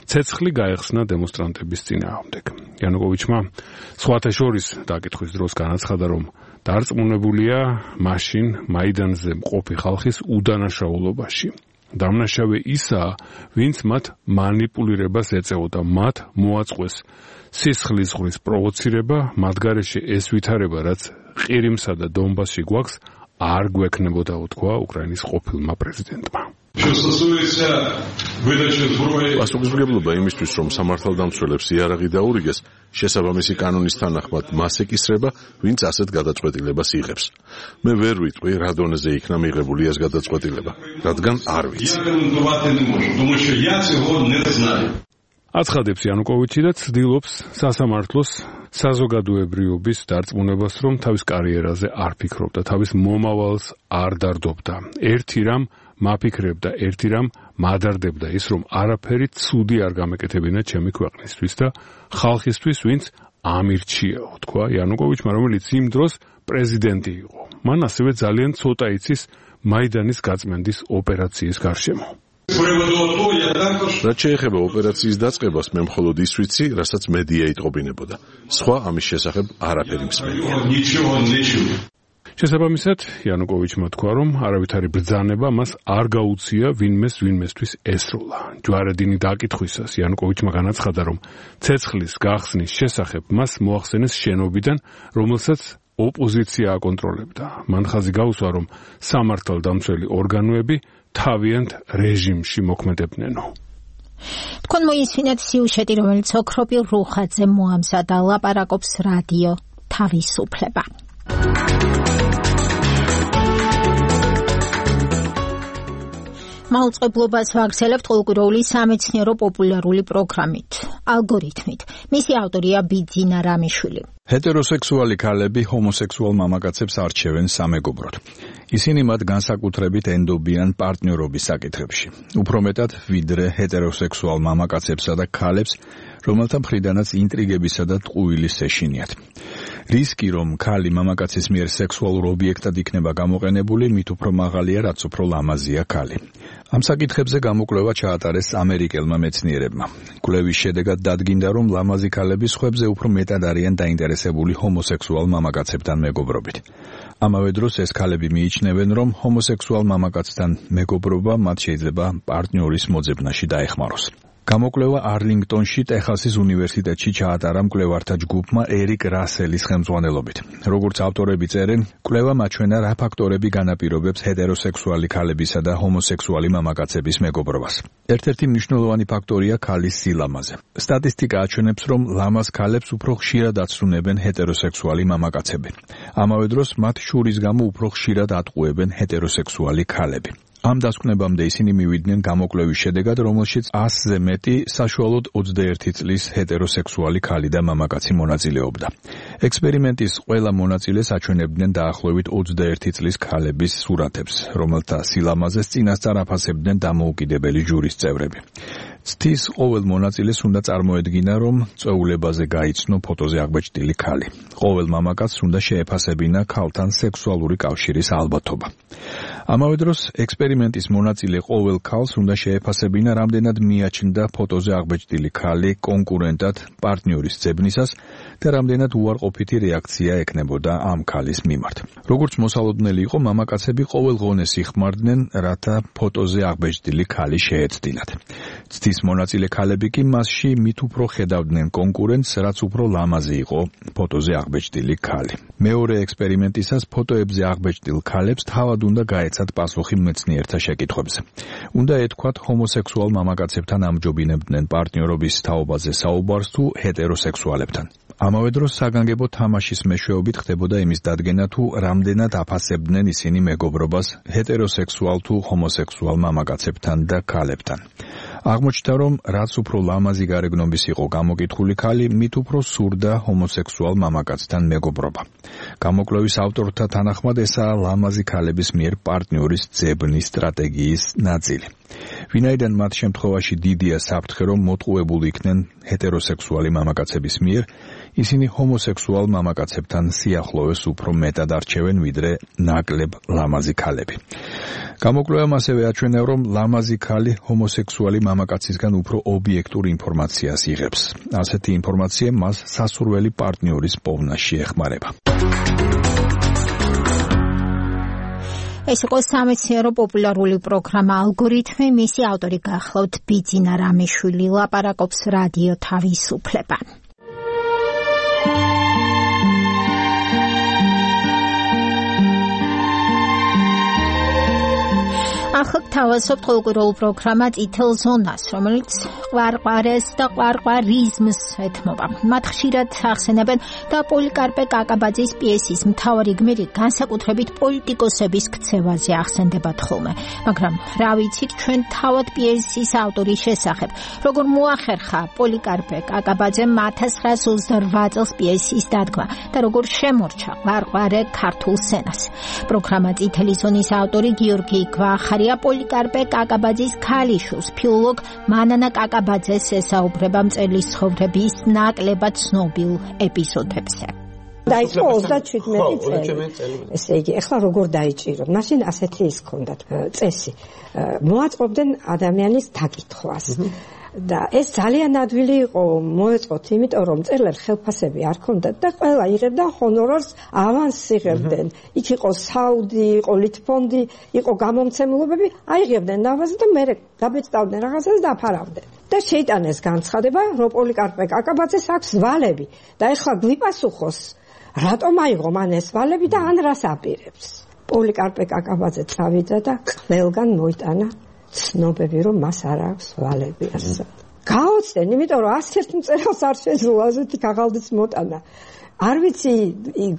ცეცხლი გაეხსნა დემონსტრანტების წინააღმდეგ. იანუკოვიჩმა სხვათა შორის დაკითხვის დროს განაცხადა, რომ დარწმუნებულია მაშინ მაიდანზე მყოფი ხალხის უდანაშაულობაში. დამნაშავე ისაა, ვინც მათ მანიპულირებას ეწეოდა, მათ მოაწყვეს სისხლის ზღვრის პროვოცირება, მათ გარეშე ეს ვითარება, რაც ყირიმსა და დონბასში გვაქვს, არ გვექნებოდა, უთქვა უკრაინის ყოფილმა პრეზიდენტმა. პასუხისმგებლობა იმისთვის, რომ სამართალდამცველებს იარაღი დაურიგეს, შესაბამისი კანონის თანახმად მას ეკისრება, ვინც ასეთ გადაწყვეტილებას იღებს. მე ვერ ვიტყვი, რა დონეზე იქნა მიღებული ეს გადაწყვეტილება, რადგან არ ვიცი. აცხადებს იანუკოვიჩი და ცდილობს სასამართლოს საზოგადოებრიობის დარწმუნებას, რომ თავის კარიერაზე არ ფიქრობდა, თავის მომავალს არ დარდობდა. ერთი რამ მაფიქრებდა, ერთი რამ მადარდებდა ის, რომ არაფერი ცუდი არ გამეკეთებინა ჩემი ქვეყნისთვის და ხალხისთვის, ვინც ამირჩიაო, თქვა იანუკოვიჩმა, რომელიც იმ დროს პრეზიდენტი იყო. მან ასევე ძალიან ცოტა იცის მაიდანის გაწმენდის ოპერაციის გარშემო. რაც შეეხება ოპერაციის დაწყებას, მე მხოლოდ ის ვიცი, რასაც მედია იტყობინებოდა. სხვა ამის შესახებ არაფერი მსმენია. შესაბამისად, იანუკოვიჩმა თქვა, რომ არავითარი ბრძანება მას არ გაუწია ვინმეს ვინმესთვის ესროლა. ჯვარედინი დაკითხვისას იანუკოვიჩმა განაცხადა, რომ ცეცხლის გახსნის შესახებ მას მოახსენეს შენობიდან, რომელსაც ოპოზიცია აკონტროლებდა. მან ხაზი გაუსვა, რომ სამართალდამცველი ორგანოები თავიანთ რეჟიმში მოქმედებნენო. თქვენ მოისმინეთ სიუჟეტი, რომელიც ოქრობილ რუხაძე მოამზადა, ლაპარაკობს რადიო თავისუფლება. მაუწყებლობას ვაგრძელებთ ყოველკვირეული სამეცნიერო პოპულარული პროგრამით, ალგორითმით. მისი ავტორია ბიძინა რამიშვილი. ჰეტეროსექსუალი ქალები ჰომოსექსუალ მამაკაცებს არჩევენ სამეგობროდ. ისინი მათ განსაკუთრებით ენდობიან პარტნიორობის საკითხებში. უფრო მეტად ვიდრე ჰეტეროსექსუალ მამაკაცებსა და ქალებს, რომელთა მხრიდანაც ინტრიგებისა და ტყუილის ეშინიათ. რისკი, რომ ქალი მამაკაცის მიერ სექსუალურ ობიექტად იქნება გამოყენებული, მით უფრო მაღალია, რაც უფრო ლამაზია ქალი. ამ საკითხებზე გამოკვლევა ჩაატარეს ამერიკელმა მეცნიერებმა. კვლევის შედეგად დადგინდა, რომ ლამაზი ქალები სხვებზე უფრო მეტად არიან დაინტერესებული ჰომოსექსუალ მამაკაცებთან მეგობრობით. ამავე დროს ეს ქალები მიიჩნევენ, რომ ჰომოსექსუალ მამაკაცთან მეგობრობა მათ შეიძლება პარტნიორის მოძებნაში დაეხმაროს. გამოკვლევა არლინგტონში, ტეხასის უნივერსიტეტში ჩაატარა მკვლევართა ჯგუფმა ერიკ რასელის ხელმძღვანელობით. როგორც ავტორები წერენ, კვლევა მაჩვენა რა ფაქტორები განაპირობებს ჰეტეროსექსუალი ქალებისა და ჰომოსექსუალი მამაკაცების მეგობრობას. ერთ-ერთი მნიშვნელოვანი ფაქტორია ქალის სილამაზე. სტატისტიკა აჩვენებს, რომ ლამაზ ქალებს უფრო ხშირად აცრუნებენ ჰეტეროსექსუალი მამაკაცები. ამავე დროს მათ შურის გამო უფრო ხშირად ატყუებენ ჰეტეროსექსუალი ქალები. ამ დასკვნებამდე ისინი მივიდნენ გამოკვლევის შედეგად, რომელშიც ასზე მეტი საშუალოდ ოცდაერთი წლის ჰეტეროსექსუალი ქალი და მამაკაცი მონაწილეობდა. ექსპერიმენტის ყველა მონაწილეს აჩვენებდნენ დაახლოებით ოცდაერთი წლის ქალების სურათებს, რომელთა სილამაზეს წინასწარ აფასებდნენ დამოუკიდებელი ჟურის წევრები. ცთის ყოველ მონაწილეს უნდა წარმოედგინა, რომ წვეულებაზე გაიცნო ფოტოზე აღბეჭდილი ქალი. ყოველ მამაკაცს უნდა შეეფასებინა ქალთან სექსუალური კავშირის ალბათობა. ამავე დროს ექსპერიმენტის მონაწილე ყოველ ქალს უნდა შეეფასებინა, რამდენად მიაჩნდა ფოტოზე აღბეჭდილი ქალი კონკურენტად პარტნიორის ძებნისას და რამდენად უარყოფითი რეაქცია ექნებოდა ამ ქალის მიმართ. როგორც მოსალოდნელი იყო, მამაკაცები ყოველ ღონეს იხმარდნენ, რათა ფოტოზე აღბეჭდილი ქალი შეეცდინათ. ცდის მონაწილე ქალები კი მასში მით უფრო ხედავდნენ კონკურენტს, რაც უფრო ლამაზი იყო ფოტოზე აღბეჭდილი ქალი. მეორე ექსპერიმენტისას ფოტოებზე აღბეჭდილ ქალებს თავად უნდა გაეცათ პასუხი მეცნიერთა შეკითხვებზე. უნდა ეთქვათ, ჰომოსექსუალ მამაკაცებთან ამჯობინებდნენ პარტნიორობის თაობაზე საუბარს თუ ჰეტეროსექსუალებთან. ამავე დროს საგანგებო თამაშის მეშვეობით ხდებოდა იმის დადგენა, თუ რამდენად აფასებდნენ ისინი მეგობრობას ჰეტეროსექსუალ თუ ჰომოსექსუალ მამაკაცებთან და ქალებთან. აღმოჩნდა, რომ რაც უფრო ლამაზი გარეგნობის იყო გამოკითხული ქალი, მით უფრო სურდა ჰომოსექსუალ მამაკაცთან მეგობრობა. გამოკვლევის ავტორთა თანახმად ესაა ლამაზი ქალების მიერ პარტნიორის ძებნის სტრატეგიის ნაწილი. ვინაიდან მათ შემთხვევაში დიდია საფრთხე, რომ მოტყუებულ იქნენ ჰეტეროსექსუალი მამაკაცების მიერ, ისინი ჰომოსექსუალ მამაკაცებთან სიახლოვეს უფრო მეტად არჩევენ, ვიდრე ნაკლებ ლამაზი ქალები. გამოკვლევამ ასევე აჩვენა, რომ ლამაზი ქალი ჰომოსექსუალი მამაკაცისგან უფრო ობიექტურ ინფორმაციას იღებს. ასეთი ინფორმაცია მას სასურველი პარტნიორის პოვნაში ეხმარება. ეს იყო სამეცნიერო პოპულარული პროგრამა ალგორითმი, მისი ავტორი გახლავთ ბიძინა რამიშვილი, ლაპარაკობს რადიო თავისუფლება. ახლა თავაზობთ ყოველკვირეულ პროგრამა წითელ ზონას, რომელიც ყვარყვარეს და ყვარყვარიზმს ეთმობა. მათ ხშირად ახსენებენ და პოლიკარპე კაკაბაძის პიესის მთავარი გმირი განსაკუთრებით პოლიტიკოსების ქცევაზე ახსენდებათ ხოლმე. მაგრამ რა ვიცით ჩვენ თავად პიესის ავტორის შესახებ, როგორ მოახერხა პოლიკარპე კაკაბაძემ ათას ცხრაას ოცდარვა წელს პიესის დადგმა და როგორ შემორჩა ყვარყვარე ქართულ სცენას. პროგრამა წითელი ზონის ავტორი გიორგი გვახარია პოლიკარპე კაკაბაძის ქალიშვილს, ფილოლოგ მანანა კაკაბაძეს ესაუბრება მწერლის ცხოვრების ნაკლებად ცნობილ ეპიზოდებზე. დაიწყო ოცდაჩვიდმეტი წელი. ესე იგი, ეხლა როგორ დაიჭიროთ? მაშინ ასეთი ის ჰქონდათ წესი. მოაწყობდნენ ადამიანის დაკითხვას. და ეს ძალიან ადვილი იყო მოეწყოთ, იმიტომ რომ მწერლებს ხელფასები არ ჰქონდათ და ყველა იღებდა ჰონორარს, ავანსს იღებდნენ. იქ იყო საუდი, იყო ლითფონდი, იყო გამომცემლობები, აიღებდნენ ავანსს და მერე გაბეჭდავდნენ რაღაცას და აფარავდნენ. და შეიტანეს განცხადება, რომ პოლიკარპე კაკაბაძეს აქვს ვალები და ეხლა გვიპასუხოს, რატომ აიღო მან ეს ვალები და ან რას აპირებს. პოლიკარპე კაკაბაძე წავიდა და ყველგან მოიტანა ცნობები, რომ მას არ აქვს ვალები ასე. გაოცდნენ, იმიტომ რომ ასეთ მწერალს არ შეძლო ასეთი ქაღალდის მოტანა. არ ვიცი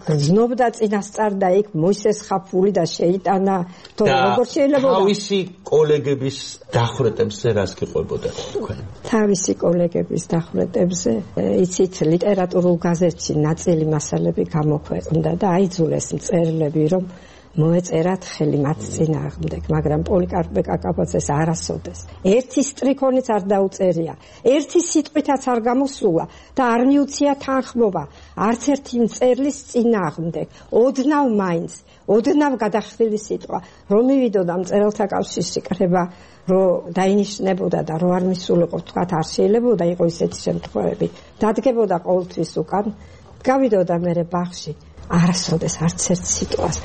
გრძნობდა წინასწარ და იქ მოისეს ხაფული და შეიტანა თუ როგორ შეიძლება თავისი კოლეგების დახვრეტებზე რას გიყვებოდა თქვენ თავისი კოლეგების დახვრეტებზე იცით ლიტერატურულ გაზეთში ნაწილი მასალები გამოქვეყნდა და აიძულეს მწერლები რომ მოეწერათ ხელი მათ წინააღმდეგ, მაგრამ პოლიკარპე კაკაბაძეს არასოდეს. ერთი სტრიქონიც არ დაუწერია, ერთი სიტყვითაც არ გამოსულა და არ მიუცია თანხმობა არც ერთი მწერლის წინააღმდეგ. ოდნავ მაინც, ოდნავ გადახდილი სიტყვა, რომ მივიდოდა მწერალთა კავშირში კრება, რომ დაინიშნებოდა და რომ არ მისულიყო, თქვათ არ შეიძლებოდა იყო ისეთი შემთხვევები. დადგებოდა ყოველთვის უკან, გავიდოდა მერე ბაღში. არასოდეს არც ერთ სიტყვას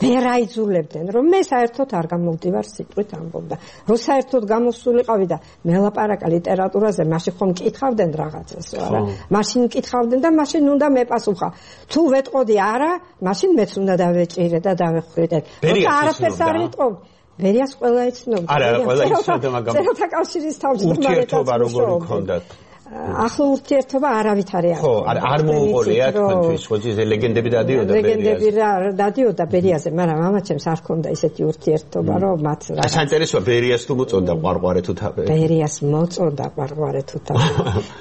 ვერ აიძულებდნენ რომ მე საერთოდ არ გამოვდივარ სიტყვით ამბობდა რომ საერთოდ გამოსულიყავი და მელაპარაკა ლიტერატურაზე მაშინ ხომ მკითხავდნენ რაღაცას არა მაშინ მკითხავდნენ და მაშინ უნდა მეპასუხა თუ ვეტყოდი არა მაშინ მეც უნდა დავეჭირე და დავეხვიდე როცა არაფერს არ ვიტყობ ბერიას ყველა იცნობდა არა ყველა იცნობდა მაგრამ წერალთა კავშირის თავმჯდომარე ურთიერთობა როგორი ჰქონდათ ახლა ურთიერთობა არავით არ ხო არ მოუყოლია თქვენთვის ხო ეს ლეგენდები დადიოდა ბერიაზე ლეგენდები დადიოდა ბერიაზე მაგრამ მამაჩემს არ ჰქონდა ისეთი ურთიერთობა რომ მათ რა საინტერესოა ბერიას თუ მოწონდა ყვარყვარე თუ თავი ბერიას მოწონდა ყვარყვარე თუ თავი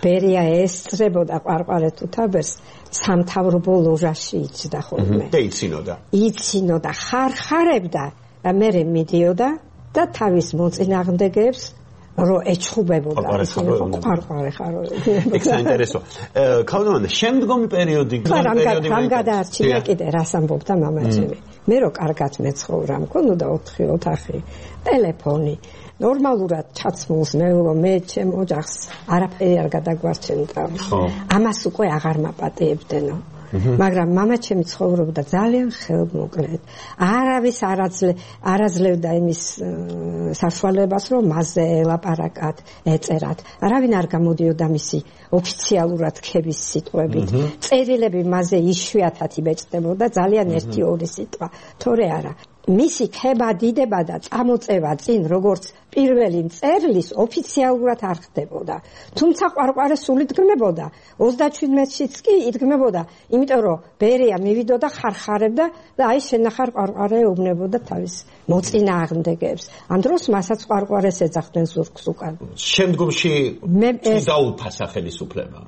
ბერია ესწრებოდა ყვარყვარე თუ თავს სამთავრობო ლოჟაში იჯდა ხოლმე და იცინოდა იცინოდა ხარხარებდა და მე მიდიოდა და თავის მოწინააღმდეგეებს რო ეჩხუბებოდა ისინი ყარყარე ხარო ეგ საინტერესოა ქალდმანდა შემდგომი პერიოდი პერიოდი რამ გადაარჩინა კიდე რას ამბობდა მამაჩემი მე რო კარგად მეცხოვრა მქონოდა ოთხი ოთახი ტელეფონი ნორმალურად ჩაცმულს მეულო მე ჩემ ოჯახს არაფერი არ გადაგვარჩენდა ამას უკვე აღარ მაპატიებდენო მაგრამ მამაჩემი ცხოვრობდა ძალიან ხელმოკლედ. არავის არაძლე არაძლევდა იმის საშუალებას, რომ მასზე ელაპარაკათ, ეწერათ. არავინ არ გამოდიოდა მისი ოფიციალურად ქების სიტყვებით. წერილები მასზე იშვიათად იბეჭდებოდა ძალიან ერთი ორი სიტყვა. თორე არა. მისი ქება დიდება და წამოწევა წინ როგორც პირველი მწერლის ოფიციალურად არ ხდებოდა. თუმცა ყვარყვარე სულ იდგმებოდა. ოცდაჩვიდმეტშიც კი იდგმებოდა, იმიტომ რომ ბერია მივიდოდა ხარხარებდა და აი შენახარ ყვარყვარე ეუბნებოდა თავის მოწინააღმდეგეებს. ამ დროს მასაც ყვარყვარეს ეძახდნენ ზურგს უკან. შემდგომში დაუფასა ხელისუფლება.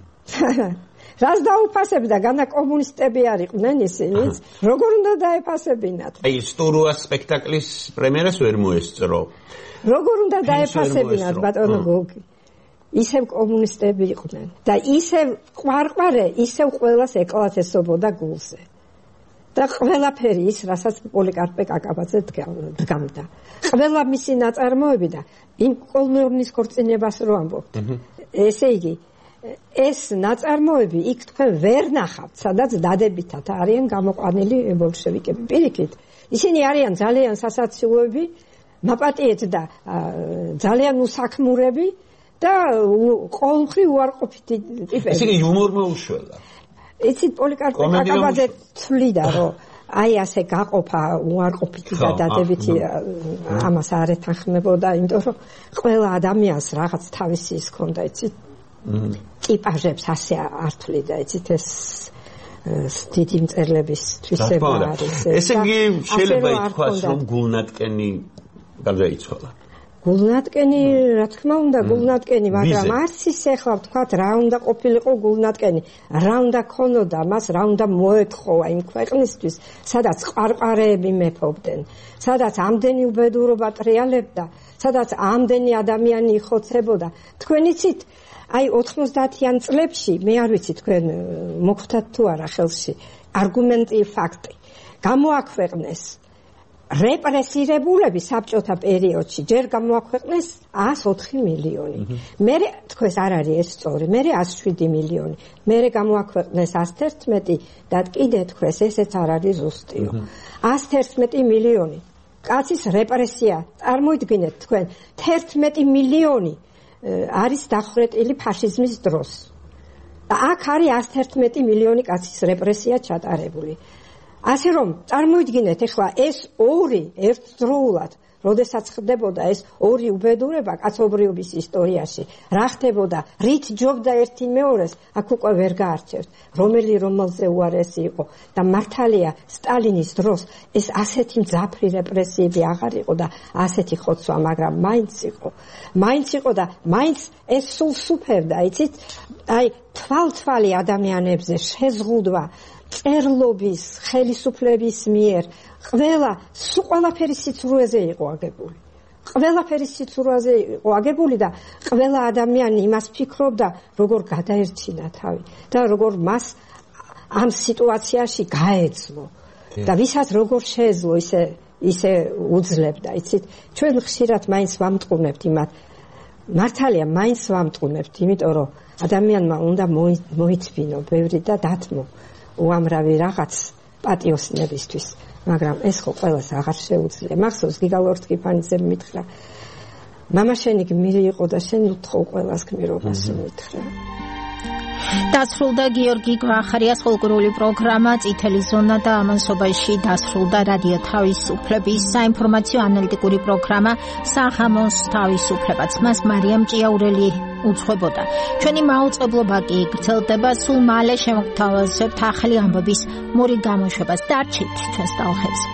რას დაუფასებდა, განა კომუნისტები არ იყვნენ ისინიც, როგორ უნდა დაეფასებინათ? აი სტურუას სპექტაკლის პრემიერას ვერ მოესწრო. როგორ უნდა დაეფასებინათ, ბატონო გოგი? ისევ კომუნისტები იყვნენ და ისევ ყვარყვარე, ისევ ყველას ეკლათესობოდა გულზე. და ყველაფერი ის, რასაც პოლიკარპე კაკაბაძე დგამდა. ყველა მისი ნაწარმოები და იმ კოლმეურნის ქორწინებას რო ამბობთ. ესე იგი ეს ნაწარმოები იქ თქვენ ვერ ნახავთ, სადაც დადებითად არიან გამოყვანილი ბოლშევიკები. პირიქით, ისინი არიან ძალიან სასაცილოები, მაპატიეთ და ძალიან უსაქმურები და ყოველმხრივ უარყოფითი ტიპები. ისინი იუმორ მოუშველა. იცით, პოლიკარპე კაკაბაძე თვლიდა, რომ აი ასე გაყოფა უარყოფითი და დადებითი ამას არ ეთანხმებოდა, იმიტომ რომ ყველა ადამიანს რაღაც თავისი ის ჰქონდა, იცით. ტიპაჟებს ასე არ თვლიდა, იცით ეს დიდი მწერლების თვისება არის. ესე იგი შეიძლება ითქვას, რომ გულნატკენი გარდაიცვალა. გულნატკენი, რა თქმა უნდა, გულნატკენი, მაგრამ არც ისე ხლა ვთქვათ, რა უნდა ყოფილიყო გულნატკენი, რა უნდა ქონოდა მას, რა უნდა მოეთხოვა იმ ქვეყნისთვის, სადაც ყვარყვარეები მეფობდნენ, სადაც ამდენი უბედურობა ტრიალებდა, სადაც ამდენი ადამიანი იხოცებოდა. თქვენ იცით, აი ოთხმოცდაათიან წლებში, მე არ ვიცი თქვენ მოხვდათ თუ არა ხელში, არგუმენტი ფაქტი. გამოაქვეყნეს რეპრესირებულები საბჭოთა პერიოდში, ჯერ გამოაქვეყნეს ას ოთხი მილიონი. მერე თქვენს არ არის ეს სწორი, მერე ას შვიდი მილიონი. მერე გამოაქვეყნეს ას თერთმეტი და კიდე თქვენს ესეც არ არის ზუსტიო. ას თერთმეტი მილიონი. კაცის რეპრესია, წარმოიდგინეთ თქვენ, თერთმეტი მილიონი არის დახვრეტილი ფაშიზმის დროს. და აქ არის ას თერთმეტი მილიონი კაცის რეპრესია ჩატარებული. ასე რომ, წარმოიდგინეთ, ეხლა ეს ორი ერთდროულად როდესაც ხდებოდა ეს ორი უბედურება კაცობრიობის ისტორიაში, რა ხდებოდა, რით ჯობდა ერთი მეორეს, აქ უკვე ვერ გაარჩევთ, რომელი რომელზე უარესი იყო და მართალია სტალინის დროს ეს ასეთი მძაფრი რეპრესიები აღარ იყო და ასეთი ხოცვა, მაგრამ მაინც იყო. მაინც იყო და მაინც ეს სულ სუფევდა, იცით? აი, თვალთვალი ადამიანებზე შეზღუდვა წერლობის, ხელისუფლების მიერ, ყველა, სულ ყველაფერი სიცრუეზე იყო აგებული. ყველაფერი სიცრუეზე იყო აგებული და ყველა ადამიანი იმას ფიქრობდა, როგორ გადაერჩინა თავი და როგორ მას ამ სიტუაციაში გაეძლო. და ვისაც როგორ შეეძლო ისე ისე უძლებდა, იცით? ჩვენ ხშირად მაინც ვამტყუნებთ იმათ. მართალია, მაინც ვამტყუნებთ, იმიტომ რომ ადამიანმა უნდა მოიწვინო ბევრი და დათმო უამრავი რაღაც პატიოსნებისთვის, მაგრამ ეს ხო ყველას აღარ შეუძლია. მახსოვს გიგა ლორთქიფანიძემ მითხრა, მამა შენი გმირი იყო და შენ უთხოვ ყველას გმირობას მითხრა. დასრულდა გიორგი გვახარიას ფოლკლორული პროგრამა წითელი ზონა და ამასობაში დასრულდა რადიო თავისუფლების საინფორმაციო ანალიტიკური პროგრამა სახამოს თავისუფლებაც. მას მარიამ ჭიაურელი უძღვებოდა. ჩვენი მაუწყებლობა კი გრძელდება, სულ მალე შემოგთავაზებთ ახალი ამბების მორი გამოშვებას. დარჩით ჩვენს ტალღებზე.